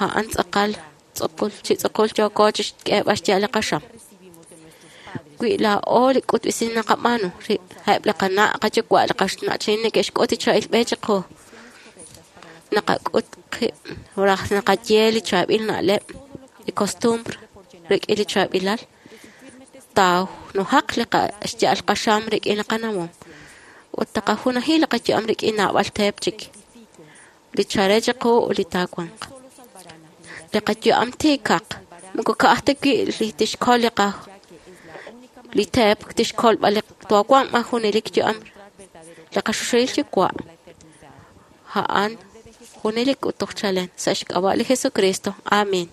a'an tz'aqal tz'uqul chi tz'uqul yooko chixk'eeb'al xya'al li qaxam. Wi laa'o li k'utb'esin naqab'aanu eb' li qana' qayuwa' li qaxna'chin neke'xk'ut li chaab'il b'e chiqu naqak'ut qib' raj naqaye li chaab'il na'leb' li costumbr rik'in li chaab'ilal taanujaq li xya'al qaxam rik'in li qanawom ut taqajunaji li qayu'am rik'in naab'al teep chik li chare chiqu ut li taawanq. Li qayu'am tiikaq moko ka'aj ta wi' li tixkol li qa li teep tixkolb'al li taawanq b'an junelik yu'am li qaxuxuhil yuwa' a'an junelik ut toj chalen sa' xk'ab'a' li Jesucristo. Amén.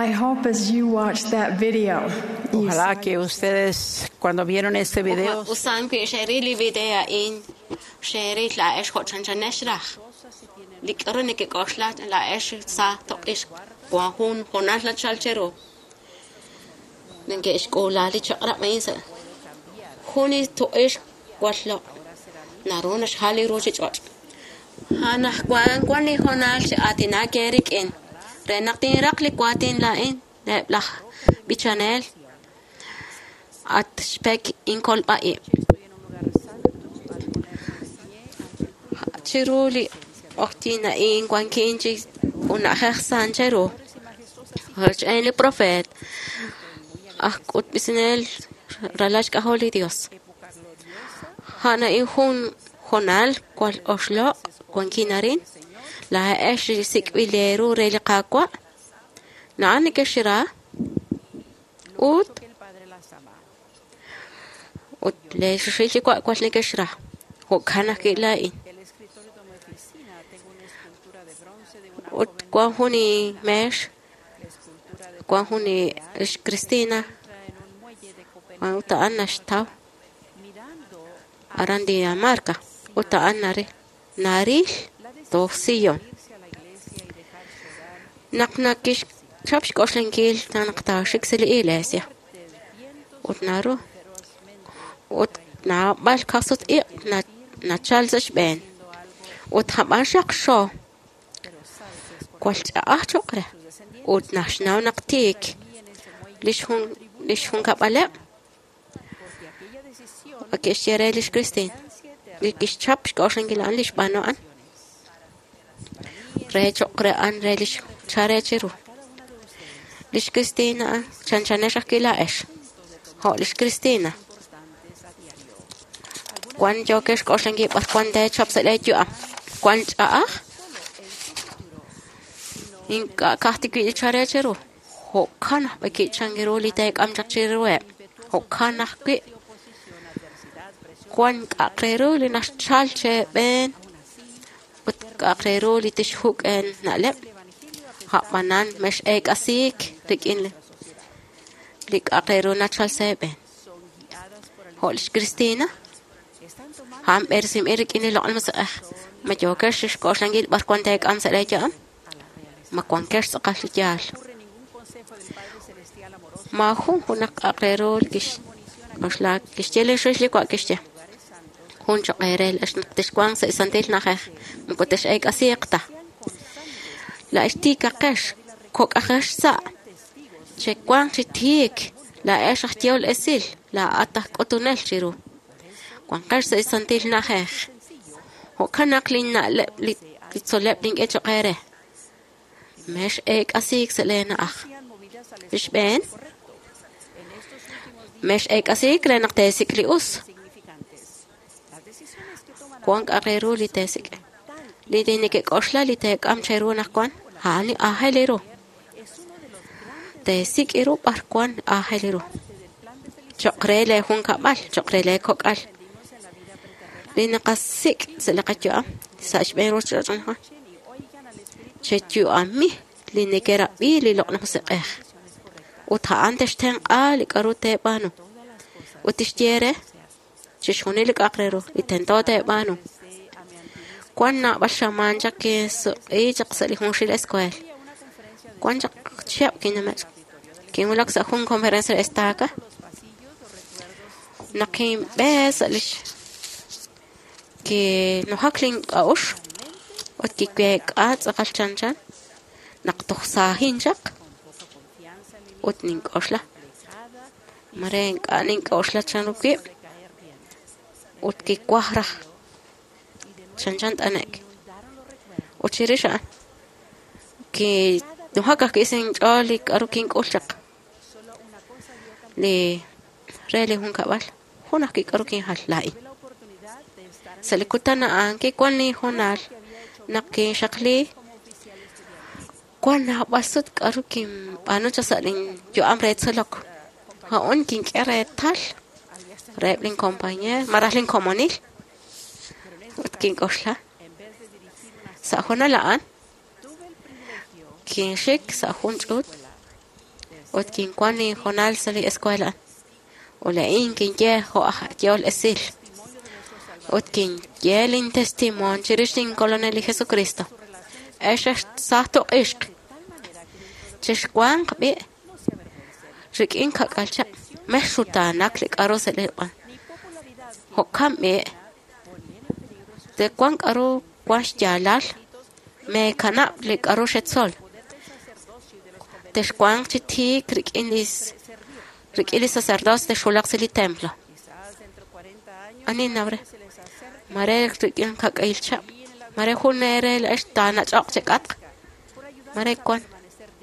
I hope as you watched that video, you Ojalá saw que ustedes, cuando vieron este video, Usan wi xeril li video a'in xeril la'ex jo' chanchanex raj li k'aru nekek'oxla la'ex sa toq'ix wan jun jonal nachal cheru neke'xk'uula li chaq'rab' a'in sa' jun li toq'ix wal loq' naru naxjal li ruchich'och' anajwan wan li jonal chi aatinak eerik'in re naq tinraq li waatin laa'in reheb' laj b'ichanel at xpek inkolb'a'ib' chiru li q'oqyin a'in wankin chi una'jej san cheru rochb'een li profeet aj k'utb'isinel ralal xk'ajol li Dios a'an a'in jun jonal wal oxloq' wankin arin laa'ex li sik'b'il eeru re li Qaawa' na'an nekexxra ut ut leexuxil yuwa' wal nekexxra jo'kan ajwi' laa'in ut wan jun inmeex wan jun ix Cristina wan ut a'an naxtaw aran Dinamarca ut a'an nari naril toj Sion naq nakixchap xk'oxlankil naq taaxik sa' li iglesia ut naru ut naab'al kajsut iq' nachal sa' xb'een ut jab'an xaqxo wal ch'a'aj choq' re ut naxnaw naq tiik lix jun lix junkab'aleb' ke'xye re lix Christine li kixchap xk'oxlankil a'an li xb'aanu a'an re choq' re a'an re lix chare chiru lix Christina chanchanex ajwi' laa'ex jo' lix Christina wan yookex xk'oxlankil b'ar wan teechap sa' leeyu'am wan ch'a'aj ink'a' ka'ajti wi' li chare chiru jo'kan ajwi' ki'chankiru li teek'am chaq chiruheb' jo'kan ajwi' wan k'a'aq re ru li naxchal cheb'een ut k'a'aq re ru li tixjuk' na'leb' ja'b'anan mex'eek'asiik rik'in li k'a'aq re ru nachal sa' eeb'een jo' lix Cristina a'an b'eresinb'il rik'in li loq'laj musiq'ej ma yookex xk'oxlankil b'ar wan teek'am sa' leeyu'am ma wankex tz'aqal li yaal maajun junaq k'a'aq re ru li kixk'oxla kixye li xrix li wa' kixye jun choq' eere laa'ex naq texwanq sa' santil na'ajej moko tex'eek'asiiq ta laa'ex tiikaqex kok'ajex sa' chewanq chi tiik laa'ex aj yehol esil laa'at aj k'utunel chiru wanqex sa' santil na'ajej jo'kan naq linna'leb' li tzol'leb' link'e choq' eere mex'eek'asiik sa' leena'aj li xb'een mex'eek'asiik re naq teesik' li us wan k'a'aq re ru li teesik' li neke'k'oxla li teek'am cheru anaqwan a'an li aajel ru teesik' ru b'ar wan aajel ru choq' re leejunkab'al choq' re leekok'al li naqasik' sa' li qayu'am sa' xb'een ruchich'och' anaqwan cheyu'ami li nekerab'i li loq'laj musiq'ej ut a'an textenq'a li k'aru teeb'aanu ut tixye re chixjunil li k'a'aq re ru li tento teeb'aanu wan naab'al xamaan chaq kinsuq'i chaq sa' li junxil escuela wan chaq chihab' kinamech kinwulak sa' jun conferencia re estaca naq kinb'e sa' lix kinujak link'a'uxl ut kiweek'a tz'aqal chanchan naq toj saajin chaq ut nink'oxla mare ink'a' nink'oxla chanru wib' ut kiwaj raj chanchan t'anek ut chirix a'an kinujak ajwi' sa' inch'ool li k'aru kink'ul chaq li re li junkab'al jun ajwi' k'aru kinjal laa'in sa' li kutan a'an kiwan linjonal naq kinxaqli wan naab'al sut k'aru kinb'aanu chaq sa' linyu'am re tzolok a'un kink'e reetal reheb' linkompañeer malaj linkomonil ut kink'oxla sa' jonal a'an kinxik sa' jun ch'uut Ut kinwan linhoonal sa' li escuela. Ut laa'in kinye jo' aj yehol esil. Ut kinye lintestimonio chirix linkolonel li Jesucristo. Ex aj saaj tuq'ixq. Chixwanq b'i' rik'in kak'al chaq. Mex xutaanak li k'aru sa' li b'an. Jo'kan b'i' tewanq k'aru wan xyaalal meekanab' li k'aru xetzol. Texwanq chi tiik rik'in li rik'in li sacerdocio texwulaq sa' li templo. Anin nawre. Mare rik'in kak'il chaq. Mare jun eere la'ex taanach'oq chek'atq. Mare wan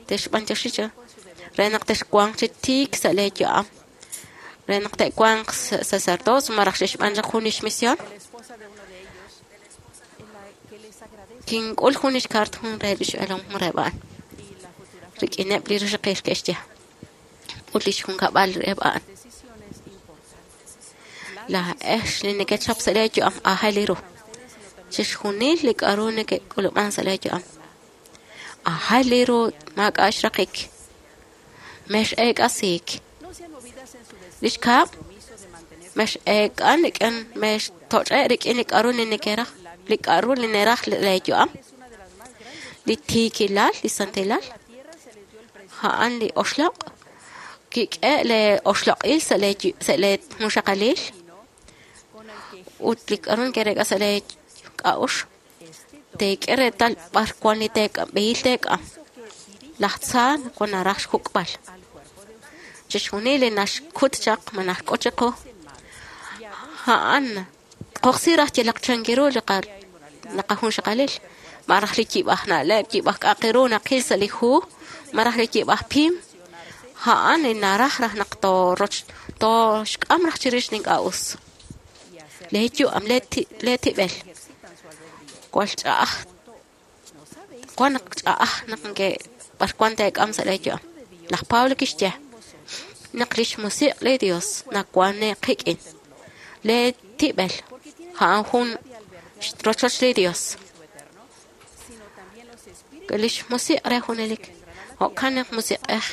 texb'antioxi cha. Re naq texwanq chi tiik sa' lee yu'am. Re naq te'wanq sacerdocio maraj xexb'an chaq jun lix misión. Kink'ul jun lix kaart jun re lix b'eelom jun reheb' a'an. Rik'ineb' li rixaqil ke'xye. Ut lix junkab'al reheb' a'an. Laa'ex li nekechap sa' lee yu'am aajel li ru. Chixjunil li k'aru neke'k'ulub'an sa' lee yu'am. Aajel li ru maak'a' xraqik. Mex eek'asiik. Lix kaab' mex eek'an rik'in mex toch'e' rik'in li k'aru li nekeraj li k'aru li neraj lee yu'am. Li tiikilal, li santilal, a'an li oxloq'. Kik'e le oxloq'il sa' lee sa' lee junxaqalil. Ut li k'aru nekerek'a sa' lee k'a'ux. Teek'e reetal b'ar wan li teek'am b'ehil teek'am. Laj tza wan naraj xjuk'b'al. Chixjunil li naxkut chaq ma naxk'ut chiqu. A'an qoqsi raj yalaq chankiru li qa li qajunxaqalil. Maraj li yib'aj na'leb', yib'aj k'aqiru naqil sa' li hu, maraj li yib'aj pim. A'an li naraj raj naq tooroch tooxk'am raj chirix li ink'a' us. Lee yu'am, lee lee tib'el. Wal ch'a'aj. Wan naq ch'a'aj naq nke b'ar wan teek'am sa' lee yu'am. Laj Pablo kixye naq lix musiq' li Dios nawan qik'in. Lee tib'el a'an jun rochoch li Dios. Lix musiq' re junelik. Jo'kan naq musiq'ej.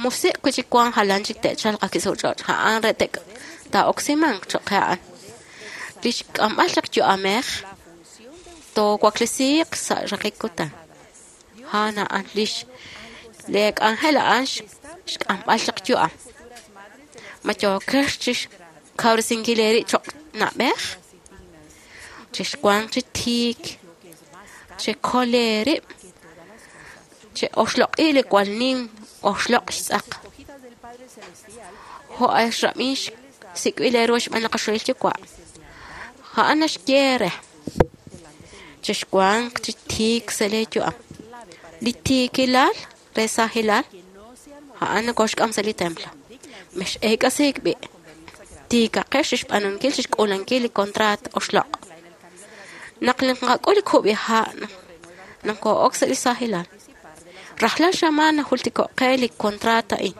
Musiq' wi' chik wan jalan chik te'chalq ak' sa' ch'och'. A'an re tek' taa'oksimanq cho'q qe a'an. Lix k'amb'al chaq yu'amej toowaklesiiq sa' raqik kutan. A'an a'an lix lee k'anjel a'an xk'amb'al chaq yu'am. Ma yookex chixkawresinkil eerib' cho'q na'b'ej? Chixwanq chi tiik. Chekol eerib'. Che'oxloq'i li wal nim oxloq' xtz'aq. Jo' axrab'in xsik'b'il eeru xb'aan li qaxohil yuwa'. A'an naxye re. Chixwanq chi tiik sa' lee yu'am. Li tiikilal re saajilal a'an nakoxk'am sa' li templo. Mex eek'asiik b'i'. Tiikaqex xb'aanunkil xk'uulankil li contraat oxloq'. Naq naqak'ul li kub'iha' naqoo'ok sa' li saajilal. Rajlal xamaan najultiko'qe li contraat a'in.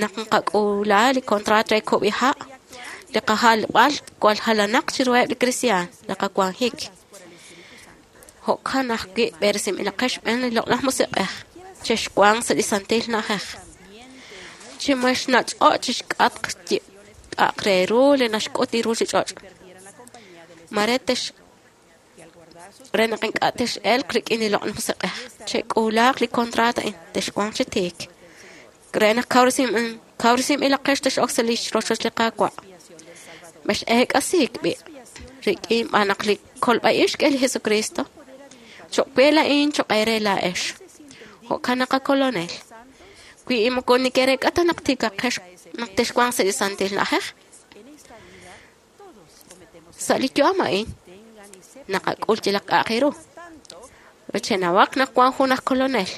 Naq nqak'uula li contraat re kub'iha' li qajalb'al wal jalanaq chiruheb' li kristiaan li qawanjik. Jo'kan ajwi' b'eresinb'ilaqex xb'een li loq'laj musiq'ej chexwanq sa' li santil na'ajej. Chi mexnach'o' chixk'atq k'a'aq re ru li naxk'ut li ruchich'och'. Mare tex re naq ink'a' tex'elq rik'in li loq'laj musiq'ej. Chek'uulaaq li contraat a'in texwanq chi tiik. Re naq kawresinb'ilaqex tex'ok sa' li rochoch li Qaawa'. Mex eek'asiik b'i' rik'in b'an naq li kolb'a'ix xk'e li Jesucristo. Cho'q we laa'in cho'q eere laa'ex. Jo'kan naq qakolonel. Wi moko nekerek'a ta naq tiikaqex naq texwanq sa' li santil na'ajej. Sa' li yu'am a'in naqak'ul yalaq k'a'aq ru. Chenawaq naq wan jun aj kolonel.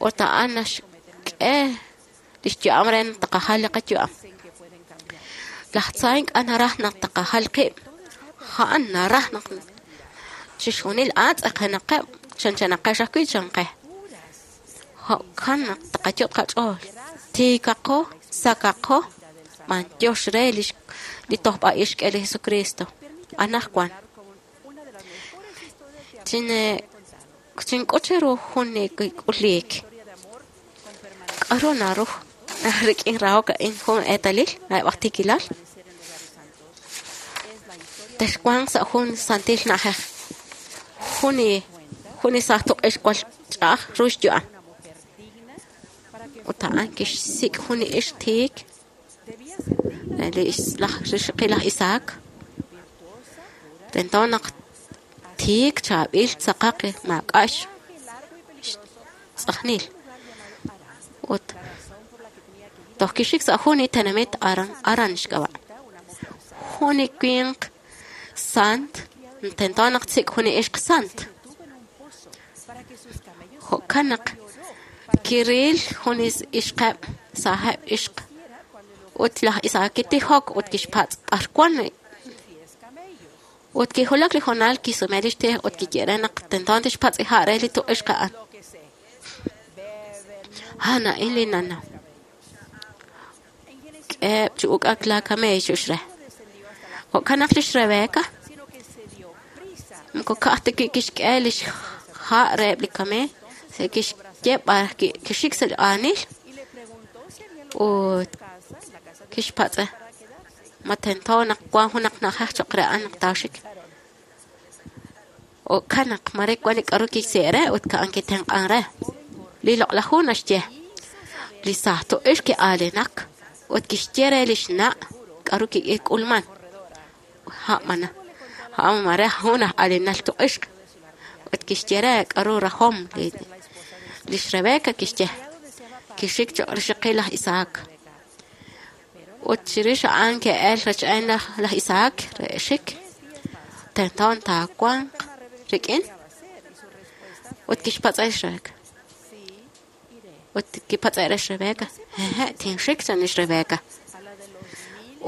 Ut a'an naxk'e lix yu'am re naq taqajal li qayu'am. Laj tza ink'a' naraj naq taqajal qib'. A'an naraj naq chixjunil a'an tz'aqenaqeb' chanchanaqex ajwi' chanqe. Jo'kan naq taqayot' qach'ool. Tiikaqo, sakaqo, b'antiox re lix li tojb'a'ix xk'e li Jesucristo. Anajwan. Chine chink'ut cheru jun li k'uliik. K'aru naru rik'in rahok a'in jun eetalil reheb' aj tiikilal texwanq sa' jun santil na'ajej jun li jun li saaj tuq'ix jwal ch'a'aj ru xyu'am ut a'an kixsik' jun li ixq tiik li laj rixaqil laj Isaac tento naq tiik chaab'il tzaqaq maak'a' xtz'ajnil ut toj kixik sa' jun li tenamit aran aran xk'ab'a' jun li winq sant tento naq tsik' jun li ixq sant jo'kan naq kiril jun li ixqeb' saajeb' ixq ut laj Isaac kitijok ut kixpatz' b'ar wan ut kijulak li hoonal kisume lix tij ut kiye re naq tento tixpatz' ha' re li tuq'ixq a'an a'an a'in li nanaw k'eheb' chi uk'ak laa kameey chu'ux re jo'kan naq lix Rebecca moko ka'aj ta wi' kixk'e lix ha' reheb' li kameey kixye b'ar kixik sa' li aanil ut kixpatz'e ma tento naq wan junaq na'ajej cho'q re a'an naq taaxik jo'kan naq mare wan li k'aru kixsi' re ut a'an kitenq'an re li loq'laj hu naxye li saaj tuq'ix ki'aalinak ut kixye re lix na' k'aru kik'ulman a'mana a'an mare jun aj aalinal tuq'ixq ut kixye re k'aru rajom li lix Rebecca kixye kixik cho'q rixaqil laj Isaac ut chirix a'an ke'el rach'en laj laj Isaac re xik tento taawanq rik'in ut kixpatz'e lix Rebecca ut kipatz'e re xRebecca hehe' tinxik chan lix Rebecca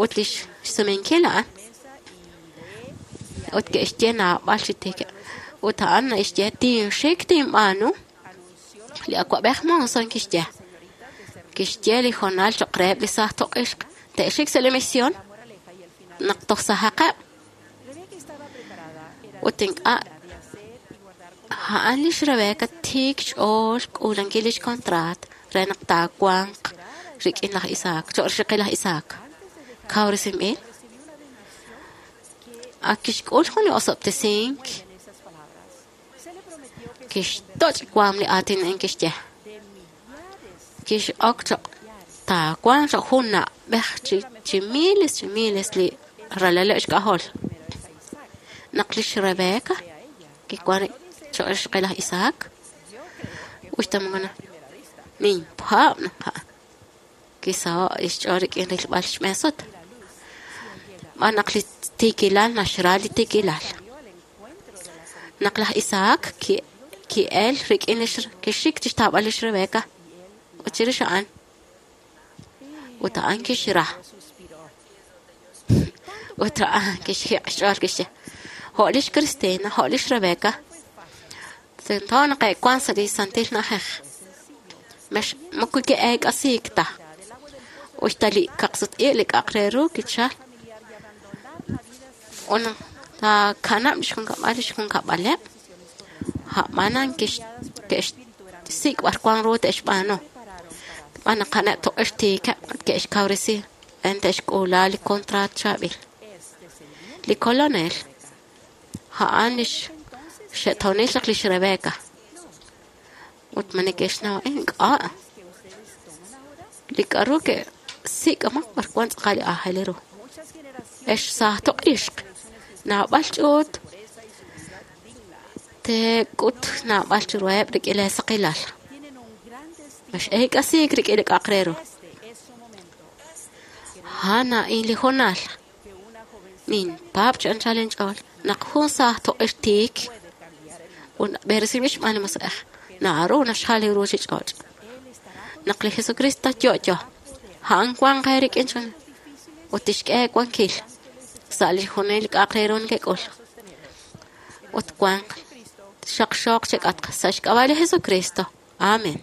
ut lix xsumenkil a'an ut ke'xye naab'al chi tiikeb' ut a'an naxye tinxik tinb'aanu li awa'b'ej Monson kixye kixye li hoonal cho'q reheb' li saaj tuq'ixq te'xik sa' li misión naq toj sajaqeb' ut ink'a' a'an lix Rebecca tiik xch'ool k'uulankil lix kontraat re naq taawanq rik'in laj Isaac cho'q rixaqil laj Isaac kawresinb'il ak kixk'ul jun li osob'tesink kixtoch' waam li aatin a'in kixye kix'ok cho'q taawanq cho'q jun na'b'ej chi chi miles chi miles li ralaleb' xk'ajol naq lix Rebecca kiwan cho'q rixaqil laj Isaac uxta moko ninpaab' naq a'an kisaho' xch'ool rik'in rilb'al xb'een sut b'an naq li tiikilal naxra li tiikilal naq laj Isaac ki ki'el rik'in lix kixik chixtaab'al lix Rebecca ut chirix a'an ut a'an kixra ut a'an kixjiq' xch'ool kixye jo' lix Cristina jo' lix Rebecca tento naq e'wan sa' li santil na'ajej mex moko ke'eek'asiik ta uxta li kaqsut-iq' li k'a'aq re ru kichal ut taakanab' lix junkab'al lix junkab'aleb' a'b'anan kix ke'xsik' b'ar wan ru te'xb'aanu b'an naq a'aneb' tuq'ix tiikeb' ut ke'xkawresi re te'xk'uula li kontraat chaab'il li Kolonel a'an lix xe'toonil chaq lix Rebecca ut ma neke'xnaw a'in ink'a' li k'aru ke'sik'amaq b'ar wan tz'aqal li aajel ru ex saaj tuq'ixq naab'al ch'uut teek'ut naab'al chiruheb' rik'in lee saqilal mex'eek'asiik rik'in li k'a'aq re ru a'an a'in li hoonal ninpaab' chi anchal inch'ool naq jun saaj tuq'ix tiik ut b'eresinb'il xb'aan li Musiq'ej naru naxjal li ruchich'och' naq li Jesucristo yo'yo a'an wanq eerik'in chan ut tixk'e eewankil sa' li junil k'a'aq re ru nekek'ul ut wanq xaqxooq chek'atq sa' xk'ab'a' li Jesucristo amen.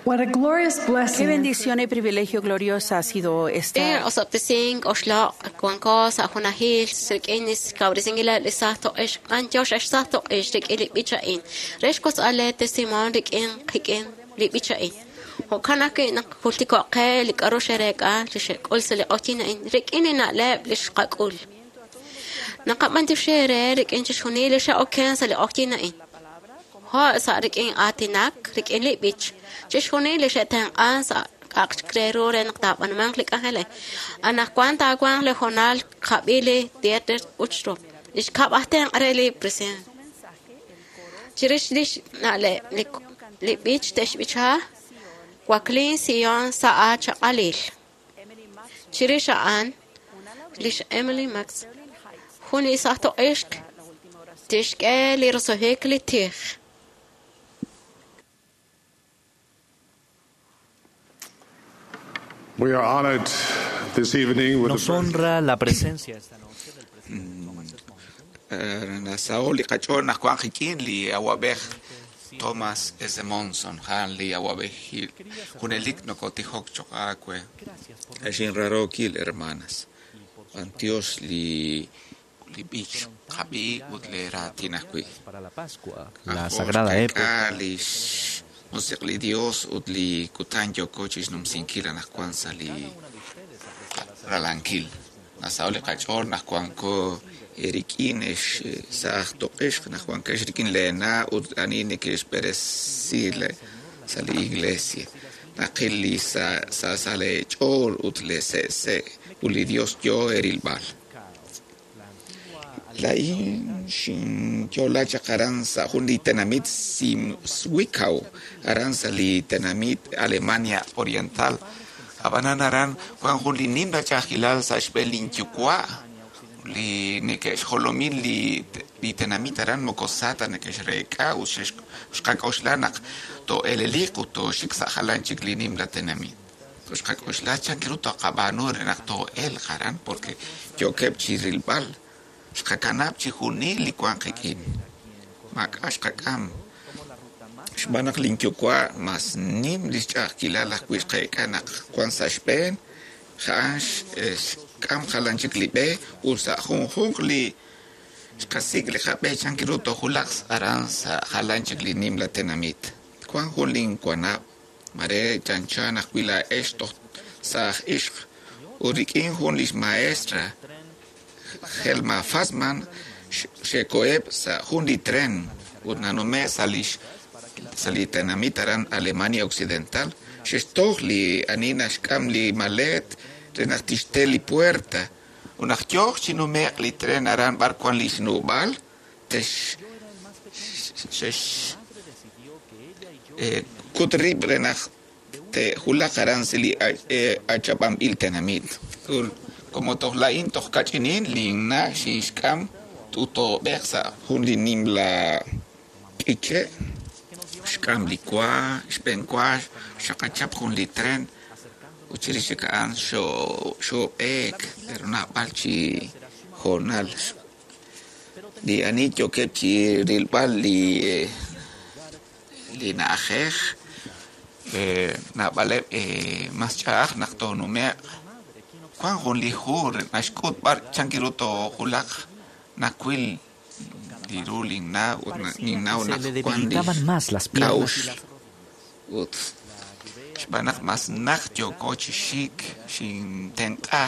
What a glorious Qué blessing bendición y privilegio gloriosa ha sido Rik'in esta osob'tesink oxloq' wanko sa' junajil rik'in xkawresinkileb' li saaj toq'ix q'anyox ex saaj toq'ix rik'in li b'ich a'in re xwotz'al lee testimonio rik'in qik'in li b'ich a'in jo'kan ajwi' naq jultiko'q qe li k'a'ru xereek'a li xek'ul sa' li q'oqyin a'in rik'in li na'leb' li xqak'ul naqab'antioxi eere rik'in chixjunil li xe'oken sa' li q'oqyin a'in jo' sa' rik'in aatinak rik'in li b'ich chixjunil li xe'tenq'an sa' k'a'aq re ru re naq taab'anumanq li k'anjel a'in anaqwan taawanq li hoonal qab'i li Dieter Uchtdorf li xkab' aj tenq' re li president chirix lix na'leb' li li b'ich te'xb'icha Waklin Sion sa' aachaq'alil chirix a'an lix Emily Max jun li saaj toq'ixq tixk'e li roso'jik li tij We are honored this evening with Nos the honra la presencia esta noche del presidente Thomas S. Monson. Nasaho li qach'ool naq wan qik'in li awab'ej Thomas S. Monson jan li awab'ejil junelik nokotijok choq aawe Gracias por Axinrarookil hermanas Antios li li b'ich qab'i ut le raatin ajwi' para la Pascua, la sagrada época. li musiq li Dios ut li kutan yooko chixnumsinkil anaqwan sa' li ralankil nasaho li qach'ool naq wanko rik'in ex saaj toq'ixq naq wankex rik'in leena' ut ani neke'xb'eresi le- sa' li iglesia naqil li sa' sa' sa' leech'ool ut le se'se' ut li Dios yoo erilb'al Lain xinyola chaq aran sa' jun li tenamit Zwickau aran sa' li tenamit Alemania Oriental ab'anan aran wan jun li nimla ch'a'ajkilal sa' xb'een linyuwa' li neke'xjolomin li li tenamit aran moko sa ta neke'xreek'a ut xex- xqak'oxla naq to'eleliq ut tooxik sa' jalan chik li nimla tenamit xqak'oxla chan ru toqab'aanu re naq to'elq aran porque yookeb' chi rilb'al xqakanab' chi junil li wan qik'in maak'a' xqak'am xb'aan naq linyuwa' mas nim li xch'a'ajkilal ajwi' xqeek'a naq wan sa' xb'een ja'an xk'am jalan chik li b'e ut sa' junjunq li xqasik' li qab'e chan ru toojulaq aran sa' jalan chik li nimla tenamit wan jun linwanab' mare chanchan ajwi' laa'ex toj saaj ixq ut rik'in jun lix maestra Helma Fassman xe'koheb' sa' jun li tren ut nanume' sa' lix sa' li tenamit aran Alemania Occidental xe'xtoj li ani naxk'am li maleet re naq tixte li puerta ut naq yooq chi nume'q li tren aran b'ar wan li xnub'aal tex xex eh, kut rib' re naq te'julaq aran sa' li eh, achab'anb'il tenamit ut como toj la'in toj kach'inin linna' xinxk'am tutoob'ej sa' jun li nimla k'iche' xk'am li wa xb'een wa xaqachap jun li tren ut chirix chik a'an xo- xoob'eek pero naab'al chi hoonal li ani yookeb' chi rilb'al li eh, li na'ajej eh, naab'aleb' eh, mas ch'a'aj naq toonume'q wan jun li hu re naxk'ut b'ar chan ru toojulaq nawil li ru linna' ut na- ninnaw Se naq le wan li debilitaban más las piernas y k'a'uxl las ut xb'aan naq mas naq yooko chi xik xintenq'a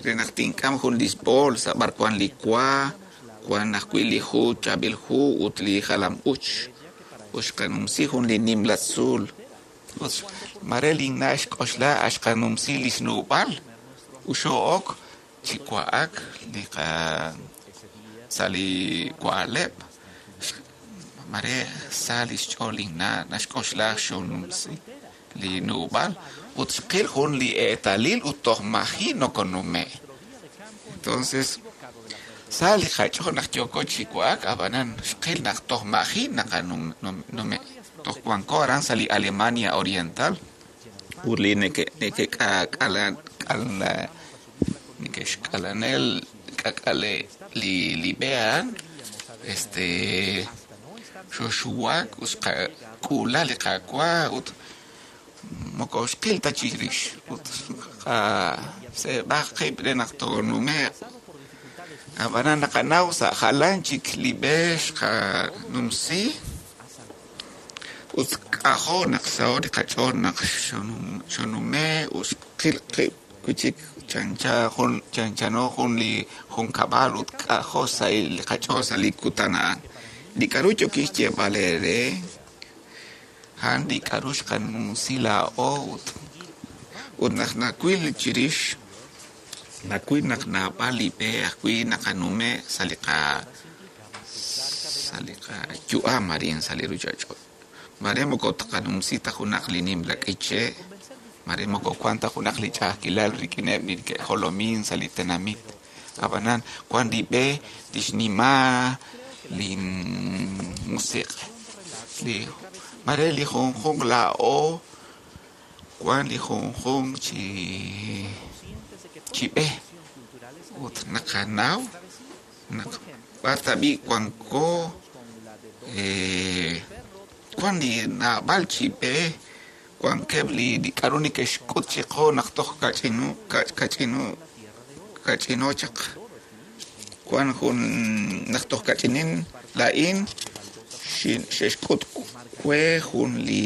re naq tink'am jun li bolsa b'ar wan li wa wan ajwi' li hu chaab'il hu ut li jalam uch ut xqanumsi jun li nimla tzuul ut mare linna' xk'oxla axqanumsi li xnub'aal ut xoo'ok chi wa'ak li qa sa' li wa'leb' mare sa' li xch'ool linna' naxk'oxla xonumsi li nub'aal ut xqil jun li eetalil ut toj maji' nokonume' entonces sa' li qach'ool naq yooko chi wa'ak ab'anan xqil naq toj maji' naqanume' toj wanko aran sa' li Alemania Oriental ut li neke nekek'ak'ala k'ala neke'xk'alanel k'ak'ale li li b'e a'an este xoxuwak ut xqak'uula li qawa ut Moko xqil ta chirix ut qaseeb'aq qib' re naq toonume'q. Ab'anan naqanaw sa' jalan chik li b'e xqanumsi ut k'ajo' naq saho' li qach'ool naq xonume' ut xqil qib' wi' chik chancha jun chanchano jun li junkab'al ut k'ajo' sa' li qach'ool sa' li kutan a'an. Li k'aru yookin xyeeb'al eere a'an li k'aru xqanumsi laa'o ut ut naq nawil chirix nawil naq naab'al li b'e ajwi' naqanume' sa' li qa sa' li qayu'am arin sa' li ruchich'och'. Mare moko tqanumsi ta junaq li nimla k'iche', mare moko wan ta junaq li ch'a'ajkilal rik'ineb' li ke'jolomin sa' li tenamit. Ab'anan wan li b'e tixnima li musiq' li mare li junjunq laa'o wan li junjunq chi chi b'e ut naqanaw naq b'ar tab'i' wanko eh, wan li naab'al chi b'e wankeb' li li k'aru neke'xk'ut chiqu naq toj kach'inu kach'inu kach'ino chaq wan jun naq toj kach'inin laa'in xe'xk'ut we jun li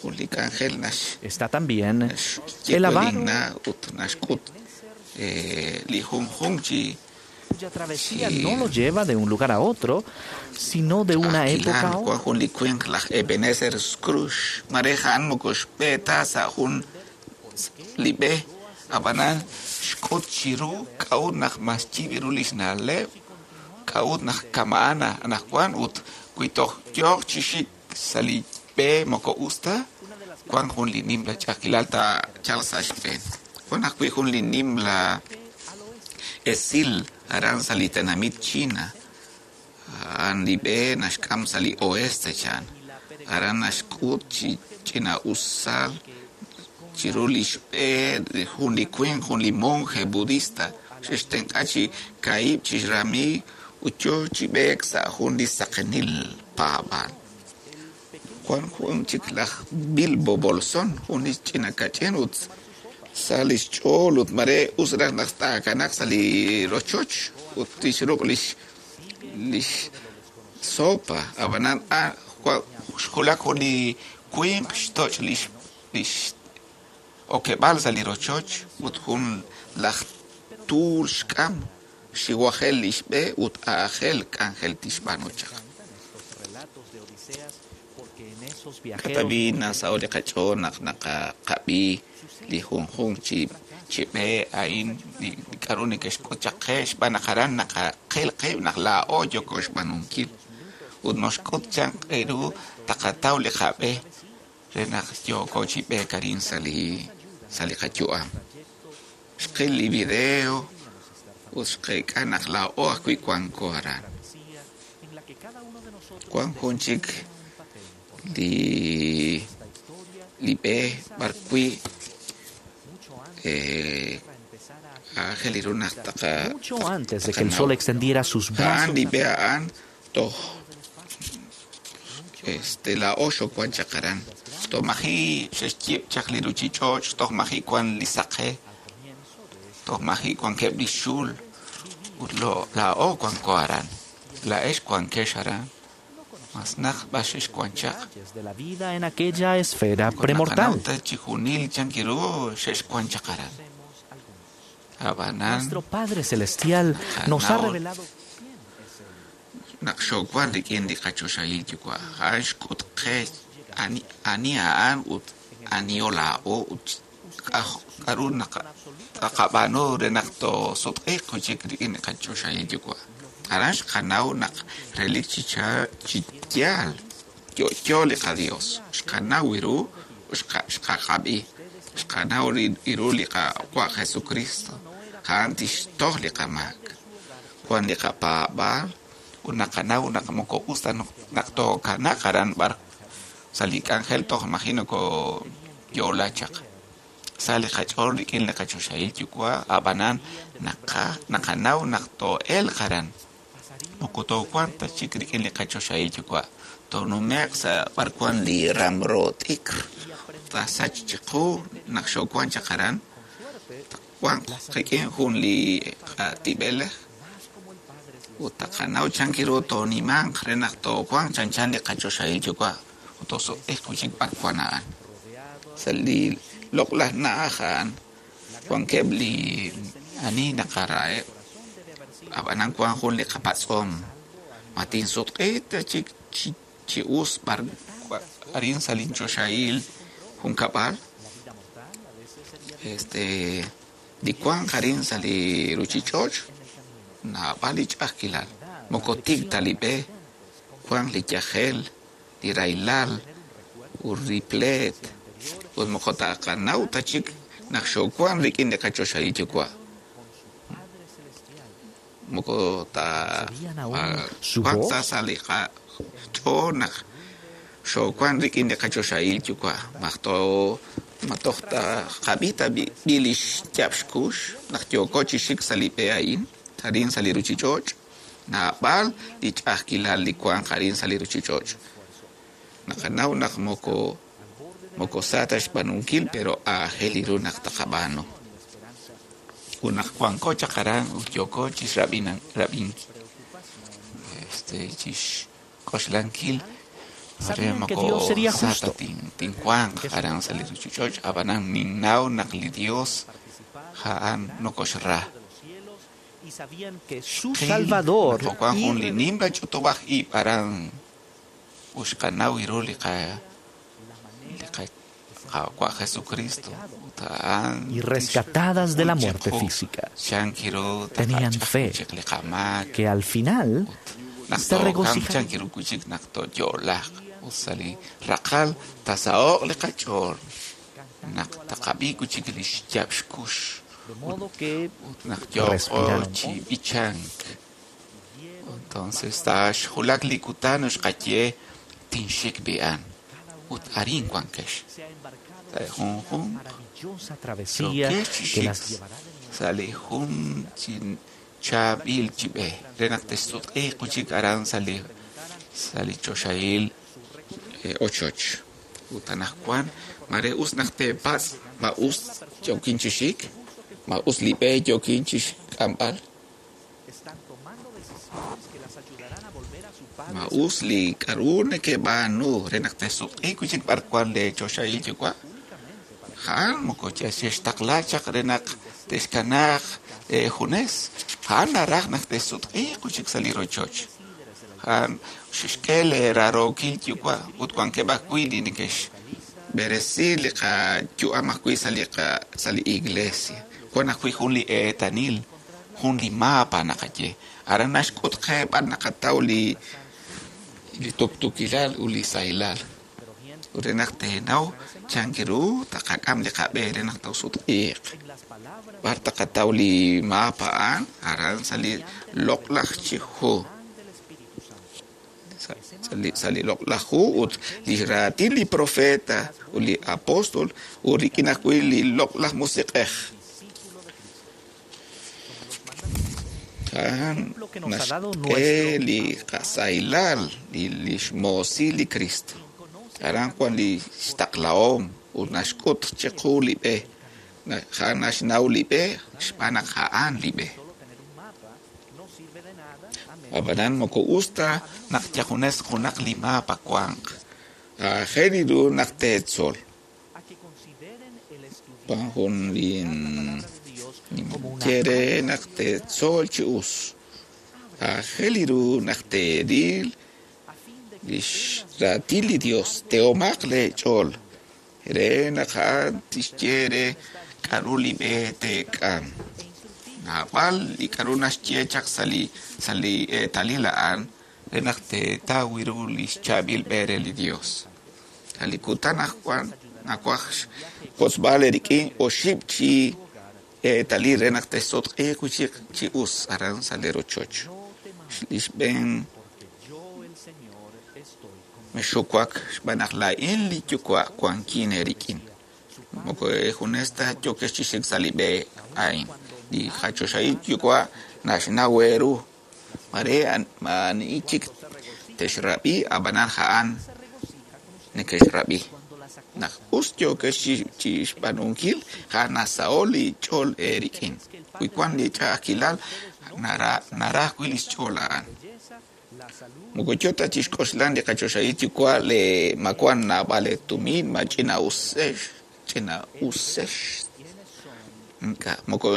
jun li k'anjel nax Está también naxye el we avaro linna' ut naxk'ut eh, li junjunq chi cuya travesía no lo lleva de un lugar a otro, sino de una época a Ch'a'ajkilal otra. wan jun li winq laj Ebenezer Scrooge mare a'an moko xb'e ta sa' jun li b'e ab'anan xk'ut chiru k'a'ut naq mas yib' ru li xna'leb' k'a'ut naq kama'an anaqwan ut wi toj yooq chi xik sa' li b'e moko us ta wan jun li nimla ch'a'ajkilal taachalq sa' xb'een. Wan ajwi' jun li nimla esil aran sa' li tenamit China a'an li b'e naxk'am sa' li oeste chan aran naxk'ut chi ch'ina'usal chiru li xb'e jun li winq jun li monje budista xe'xtenq'a chi kaahib' chi xrami ut yoo chi b'eek sa' jun li saqenil paab'aal. Wan jun chik laj Bilbo Bolsón jun li ch'ina kach'in ut sa' li xch'ool ut mare us raj naq taakanaq sa' li rochoch ut tixruq' lix lix sopa ab'anan a xwulak jun li winq xtoch' lix lix okeb'aal sa' li rochoch ut jun laj tuul xk'am xiwajel li xb'e ut aajel k'anjel tixb'aanu chaq. K'atab'i nasaho' li qach'ool naq naqaqab'i li junjunq chi chi b'e a'in li k'aru neke'xk'ut chaq qe xb'aan naq aran naqaqil qib' naq laa'o yooko xb'aanunkil ut noxk'ut chan ru taqataw li qab'e re naq yooko chi b'eek arin sa' li sa' li qayu'am. Xqil li video ut xqeek'a naq laa'o ajwi' wanko aran. Wan jun chik li li b'e b'ar wi' eh, aajel ru naq taqa Mucho antes de que el sol extendiera sus a'an brazos li b'e a'an toj este laa'o xowan chaq aran toj maji' xe'xyiib' chaq li ruchich'och' toj maji' wan li saqe toj maji' wankeb' li xul ut lo laa'o wanko aran laa'ex wankex aran mas naq b'ar xexwan chaq de la vida en aquella esfera naqanaw premortal. ta chijunil chan ru xexwan chaq aran ab'anan Nuestro Padre Celestial nos ha Naqanaw revelado naq xowan rik'in li qachoxahil yuwa' a'an xk'ut qe ani ani a'an ut aniho laa'o ut k'aj- k'aru naqa taqab'aanu re naq toosutq'iiq wi' chik rik'in li qachoxahil yuwa'. Aran xqanaw naq relik chi cha- chi yaal yo'yo li qaDios xqanaw ru xqa- xqaqab'i xqanaw ri- ru li Qawa' Jesucristo a'an tixtoj li qamaak wan li qapaab'aal ut naqanaw naq moko us ta naq tookanaq aran b'ar sa' li k'anjel toj maji' nokoyo'la chaq sa' li qach'ool rik'in li qachoxahil yuwa' ab'anan naqa naqanaw naq too'elq aran moko toowanq ta chik rik'in li qachoxahil yuwa' Toonume'q sa' b'ar wan li ramro t'ikr taasach chiqu naq xoowan chaq aran wanq qik'in jun li qatib'elej ut taqanaw chankiru toonimanq re naq toowanq chanchan li qachoxahil yuwa' ut toosutq'iiq wi'chik b'ar wan a'an. Sa' li loq'laj na'aj a'an wankeb' li ani naqaraheb' ab'anan wan jun li qapatz'om ma tinsutq'i ta chik chi chi us b'ar arin sa' linchoxahil junkab'al este li wanq arin sa' li ruchich'och' naab'al li ch'a'ajkilal moko tik ta li b'e wanq li yajel li rahilal ut li pleet ut moko taqanaw ta chik naq xoowan rik'in li qachoxahil yuwa' moko ta wanq ta sa' li qach'ool naq xoowan rik'in li qachoxahil yuwa' maj too ma toj ta qab'i ta b'i li xyaab' xkux naq yooko chi xik sa' li b'e a'in arin sa' li ruchich'och' naab'al li ch'a'ajkilal li wanq arin sa' li ruchich'och' naqanaw naq moko moko sa ta xb'aanunkil pero aajel ru naq taqab'aanu ut naq wanko chaq aran ut yooko chi xrab'in rab'in este chi xk'oxlankil Sabían que Dios sería justo. Tinwanq aran sa' li ruchich'och' ab'anan ninnaw naq li Dios ja'an nokoxra Y sabían que su Salvador wan jun li nimla ch'utub'aj ib' aran ut xqanaw iru li qa li qa Qawa' Jesucristo ut a'an y rescatadas de la muerte física. chankiru Tenían fe chik li qamaak que al final naq se tookam regocijaron. chankiru wi'chik naq tooyo'laq ut sa' li raqal tasaho'q li qach'ool naq taqab'i wi'chik li xyaab' xkux De modo que ut naq yooko respiraron chi b'ichank entonces taxjulak li kutan ut xqaye tinxik b'i'an ut arin wankex se ha embarcado sa' junjunq maravillosa travesía yokex chi que xik las llevará de nuevo sa' li jun chi chaab'il chi b'e re naq texsutq'iiq wi'chik aran sa' li sa' li choxahil eh, ochoch ut anaqwan mare us naq teepatz' ma us yookin chi xik ma us li b'e yookin chi xk'amb'al Están tomando decisiones que las ayudarán a volver a su padre. ma us li k'a'ru nekeb'aanu re naq texsutq'iiq wi'chik b'ar wan le choxahil yuwa' ja'an moko xextaqla chaq re naq texkanaaq eh, junes ja'an naraj naq texsutq'iiq wi'chik sa' li rochoch ja'an xexk'e le rarookil yuwa' ut wankeb' ajwi' li neke'xb'eresi li qayu'am ajwi' sa' li qa sa' li iglesia wan ajwi' jun li eetanil jun li mapa naqaye aran naxk'ut qe b'ar naqataw li li tuktukilal ut li sahilal ut re naq teenaw chankiru taqak'am li qab'e re naq toosutq'iiq b'ar taqataw li mapa a'an aran sa' li loq'laj chi hu sa' sa' li sa' li loq'laj hu ut li raatin li profeta ut li apóstol ut rik'in ajwi' li loq'laj musiq'ej a'an naxk'e li qasahilal li li xmoosil li Cristo aran wan li xtaqlahom ut naxk'ut chiqu li b'e Na- ja'an naxnaw li b'e xb'aan naq a'an li b'e ab'anan moko us ta naq yajunes junaq li mapa wanq aajel ru naq teetzol A que consideren el estudiar wan jun li la palabra de Dios como una ye re naq teetzol chi us aajel ru naq teeril a fin de que li xraatin li Dios tehomaq leech'ool re naq a'an tixye re k'a'ru li b'e teek'am naab'al li k'a'ru naxye chaq sa' li sa' li eetalil a'an re naq teetaw ru li xchaab'il b'e re li Dios sa' li kutan ajwan nawaj xwotzb'al eerik'in oxib' chi eetalil re naq texsutq'iiq wi'chik chi us aran sa' li rochoch li xb'een porque yo el Señor estoy con mexuwak xb'aan naq laa'in li yuwa' wankin eerik'in moko junes ta yokex chi xik sa' li b'e a'in li qachoxahil yuwa' naxnaw eeru mare an- maani chik texrab'i ab'anan a'an nekexrab'i naq us yookex chi xb'aanunkil a'an nasaho' li ch'ool eerik'in wi wan li ch'a'ajkilal naraj wi' li xch'ool a'an moko yo ta chixk'oxlan li qachoxahil yuwa' le ma wan naab'al tumin ma ch'ina'usex ch'ina'usex ink'a' moko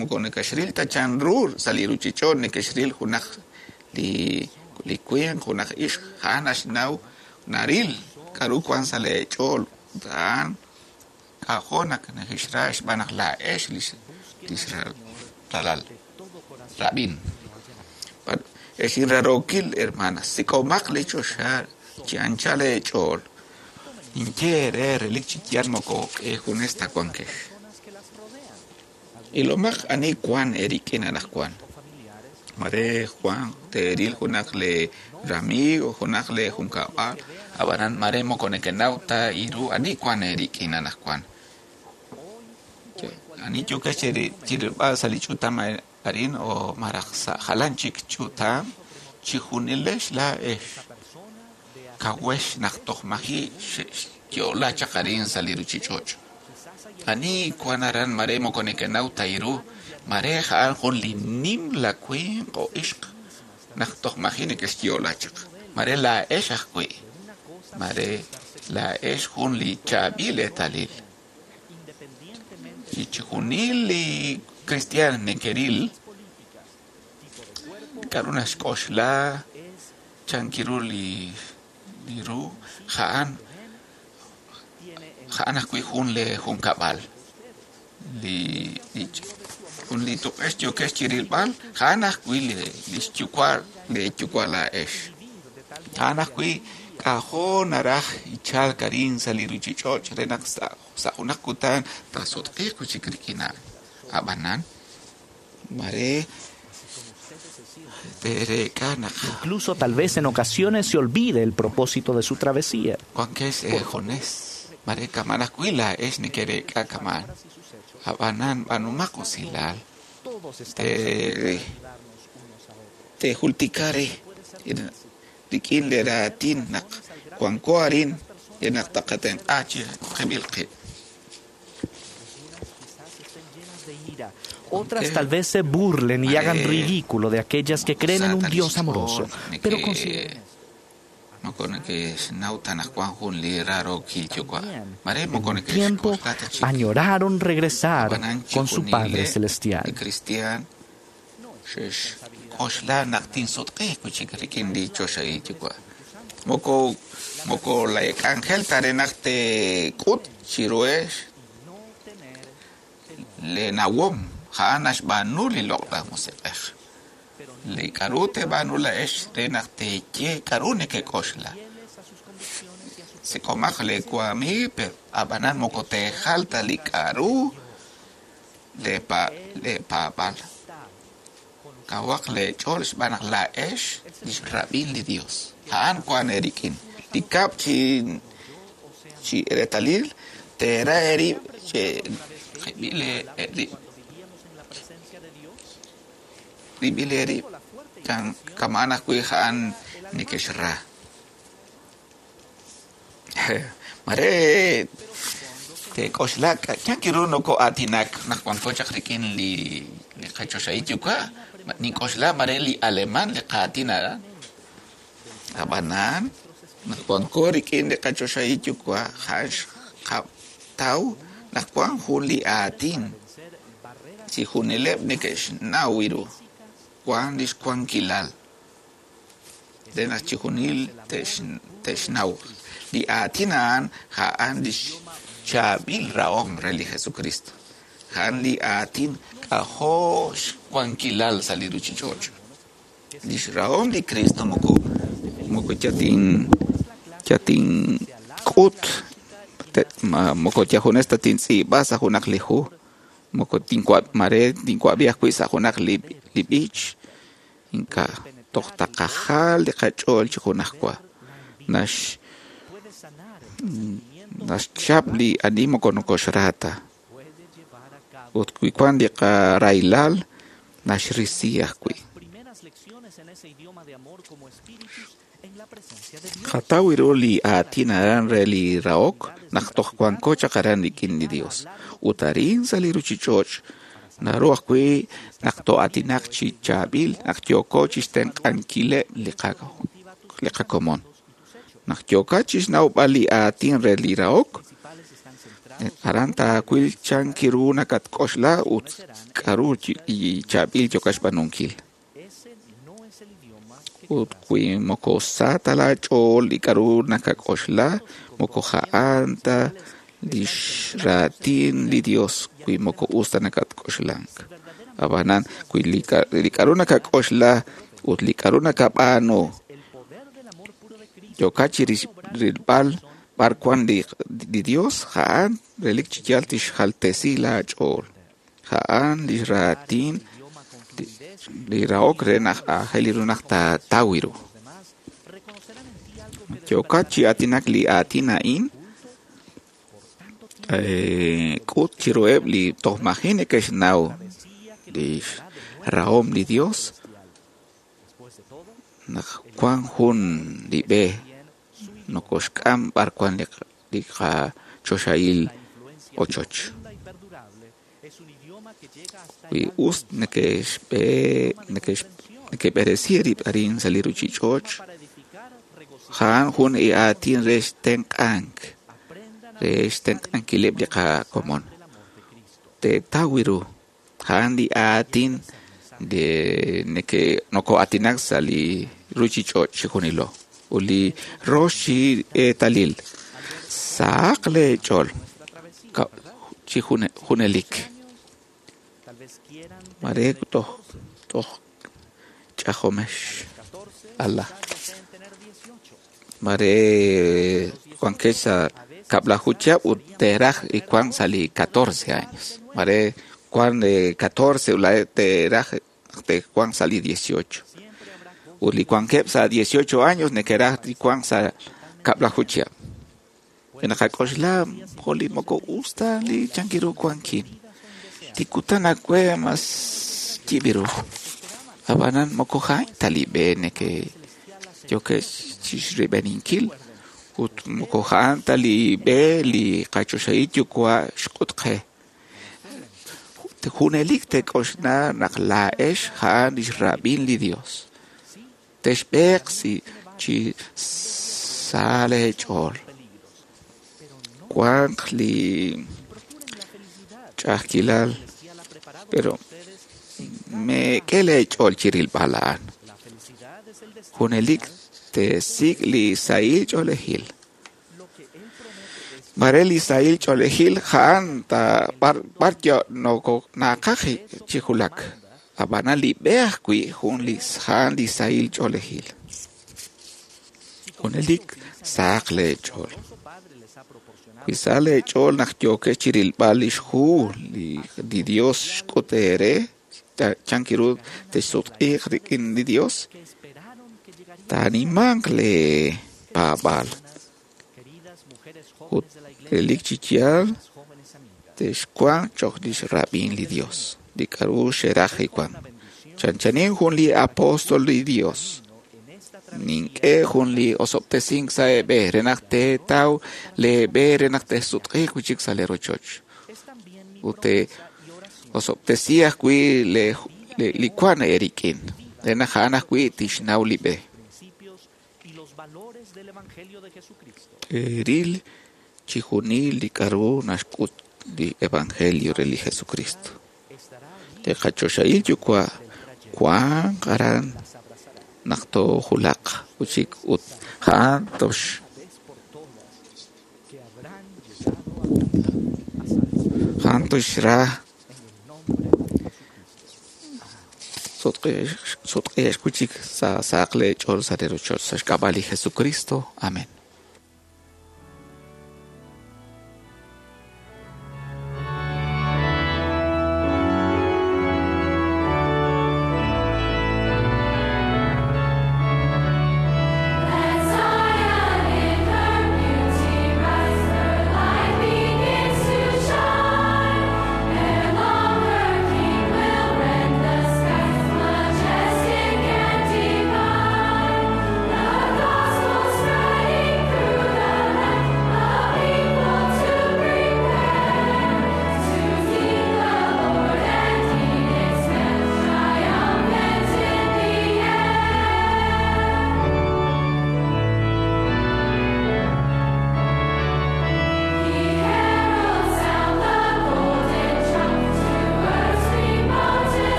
moko nekexril ta chanru sa' li ruchich'och' nekexril junaq li li winq junaq ixq a'an naxnaw naril k'aru wan sa' leech'ool a'an k'ajo' naq nekexra xb'aan naq laa'ex lix ralal rab'in ex inrarookil hermanas sik'omaq li choxa chi anchal eech'ool ninye eere relik chi yaal moko eejunes ta wankex ilomaq ani wan eerik'in anaqwan mare Juan teeril junaq le ramigo junaq le junkab'al ab'anan mare moko nekenaw ta iru ani wan eerik'in anaqwan ani yokex chirilb'al sa' li ch'utam arin o maraj sa' jalan chik ch'utam chijunilex laa'ex kawex naq toj maji' xyo'la chaq arin sa' li ruchich'och' ani wan aran mare moko nekenaw ta iru mare a'an jun li nimla winq o ixq naq toj maji' nekexyo'la chaq mare laa'ex ajwi' mare laa'ex jun li chaab'il eetalil chi chijunil li cristian nekeril k'aru naxk'oxla chankiru li li ru a'an a'an ajwi' jun le junkab'al li jun li tuq'ex yokex chirilb'al a'an ajwi' li xyuwa' le yuwa' laa'ex a'an ajwi' k'ajo' naraj ichalk arin sa' li ruchich'och' re naq sa' junaq kutan taasutq'iiq wi' chik rik'in a'an ab'anan mare teereek'a naq Incluso tal vez en ocasiones se olvide el propósito de su travesía. wankex eejunes mare kaman ajwi' laa'ex nekereek'a kaman ab'anan b'aanumaq usilal te tejultikare rik'in le raatin naq wanko arin re naq taqatenq'a chi qib'il qib' Otras tal vez se burlen y hagan ridículo de aquellas que creen en un Dios amoroso, pero consideren moko nekexnaw ta naq wan jun li rarookil yuwa' mare moko un tiempo nekexk'oxla ta chik añoraron regresar ab'anan con su Padre chijunile Celestial. li cristian xe'xk'oxla naq tinsutq'iiq wi' chik rik'in li choxahil yuwa' moko moko lek'anjel ta re naq teek'ut chiruhex le nawom a'an naxb'aanu li loq'laj musiq'ej li k'aru teeb'aanu laa'ex re naq teeye k'aru nekek'oxla sik'omaq le wamiig pero ab'anan moko teejal ta li k'aru leepa leepaab'al kawaq leech'ool xb'aan naq laa'ex lix rab'in li Dios a'an wan eerik'in li kab' chi chi reetalil teera eerib' che qib'il eerib' rib'il eerib' kan kaman ajwi' a'an nekexra mare teek'oxla chankiru noko'aatinak naq wanko chaq rik'in li li qachoxahil yuwa' nink'oxla mare li alemán li qaatin aran ab'anan naq wanko rik'in li qachoxahil yuwa' a'an xqataw naq wan jun li aatin chijunileb' neke'xnaw ru wan lix wankilal re naq chijunil te'xnaw li aatin a'an a'an lix chaab'il rahom re li Jesucristo a'an li aatin k'ajo' xwankilal sa' li ruchich'och' lix rahom li Cristo moko moko yatin yatink'ut moko yajunes ta tintz'iib'a sa' junaq li hu moko tinwa' mare tinwab'i ajwi' sa' junaq li li b'ich ink'a' toj taqajal li qach'ool chi junajwa nax naxchap li ani moko nokoxra ta ut wi wan li qaraylal naxrisi ajwi' Primeras lecciones en ese idioma de amor como espíritus Qataw ru li aatin aran re li rahok naq toj wanko chaq aran rik'in li Dios. Ut arin sa' li ruchich'och' naru ajwi' naq to'atinaq chi chaab'il naq yooko chixtenq'ankileb' li li qakomon. Naq yookat chixnawb'al li aatin re li rahok, aran taawil chan kiru nakatk'oxla ut k'aru chaab'il yookat xb'aanunkil. Ut wi moko sa ta laach'ool li k'aru nakak'oxla, moko ja'an ta lix raatin li Dios wi moko us ta nakatk'oxlank. Ab'anan wi li k'aru nakak'oxla ut li k'aru nakab'aanu yookat chi rilb'al b'ar wan li Dios, ja'an relik chi yaal tixjaltesi laach'ool. Ja'an li raatin li rahok re naq aajel ru naq taataw ru. Yookat chi aatinak li aatin a'in, k'ut chiruheb' li toj maji' neke'xnaw li rahom li Dios naq wan jun li b'e nokoxk'am b'ar wan li qachoxahil ochoch. Wi us neke'xb'eresi rib' arin sa' li ruchich'och', ja'an jun li aatin re xtenq'ank, re xtenq'ankileb' li qakomon. Teetaw ru, ja'an li aatin de noko'aatinak sa' li ruchich'och' chi junilo. Ut li rox chi eetalil, sahaq leech'ool chi junelik. Mare toj toj ch'ajomex Allah. Mare wankex sa' kab'laju chihab' ut teeraj wan sa' li catorce años. Mare wan catorce teeraj tewan sa' li dieciocho. Ut li wankeb' sa' dieciocho años neke'raj wan sa' kab'laju chihab'. Naqak'oxla jo' li moko us ta li chankiru wankin. Tikutan awe mas yib'iru. Ab'anan moko ja'an ta li b'e neke yokex chixrib'eninkil ut moko ja'an ta li b'e li qachoxahil yuwa' xk'ut qe. Junelik teek'oxla naq laa'ex ja'an lix rab'in li Dios. Texb'eeq si chi sa leech'ool. Wanq li ch'a'ajkilal, pero meek'e leech'ool chi rilb'al a'an. Junelik teesik' li sahil ch'oolejil. Mare li sahil ch'oolejil ja'an ta b'ar naqaj chi julak. Ab'anan li b'e ajwi' jun li ja'an li sahil ch'oolejil. Junelik sahaq leech'ool. Wi sa leech'ool naq yookex chi rilb'al lix hu li Dios xk'ut eere, chankiru texsutq'iiq rik'in li Dios, taanimanq lee paab'aal. Ut relik chi yaal texwanq cho'q lix rab'in li Dios, li k'aru xeraj wan. Chanchanin jun li apóstol li Dios. Nink'e jun li osob'tesink sa' eeb'e re naq teetaw leeb'e re naq texsutq'iiq wi'chik sa' lee rochoch. Ut te'osob'tesi ajwi' li wan eerik'in re naq a'an ajwi' tixnaw li b'e. Teeril chi junil li k'aru naxk'ut li Evangelio re li Jesucristo. Li qachoxahil yuwa' wanq aran naq toojulaq wi'chik ut ja'an tox ja'an toxra sutq'iix wi'chik sa' sahaq leech'ool sa' li rochoch sa' xk'ab'a' li Jesucristo. Amén. Majestic and divine, the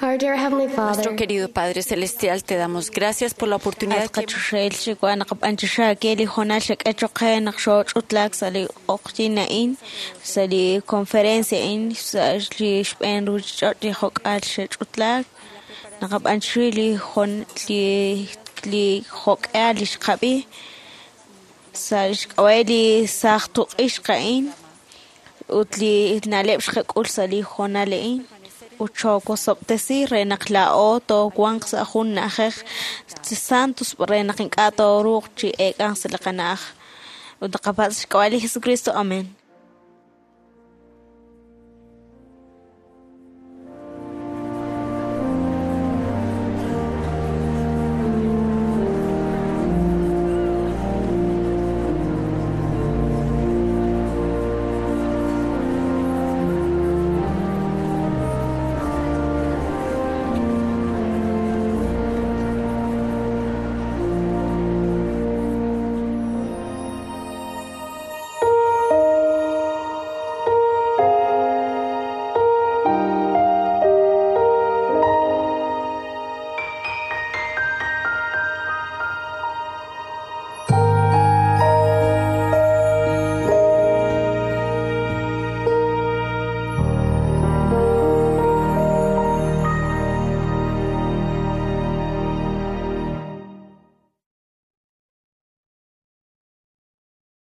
Our dear Heavenly Nuestro Father, querido Padre Celestial, te damos gracias por la oportunidad At que qachoxel xiwa naqab'anchaxa ke li hoonal xak'e choqe naq xooch'utlaak sa' li q'oqyin a'in sa' li conferencia a'in sa' li xb'een ruchich'och' li jok'al xech'utlaak naqab'anchaxi li jon li li jok'al li xqab'i sa' xk'ab'a' li saaj tuq'ixq a'in ut li na'leb' xqak'ul sa' li hoonal a'in ut xookosob'tesi re naq laa'o toowanq sa' jun na'ajej santos re naq ink'a' tooruuq chi eek'anq sa' li qana'aj ut naqapatz' xk'ab'a' li Jesucristo. Amén.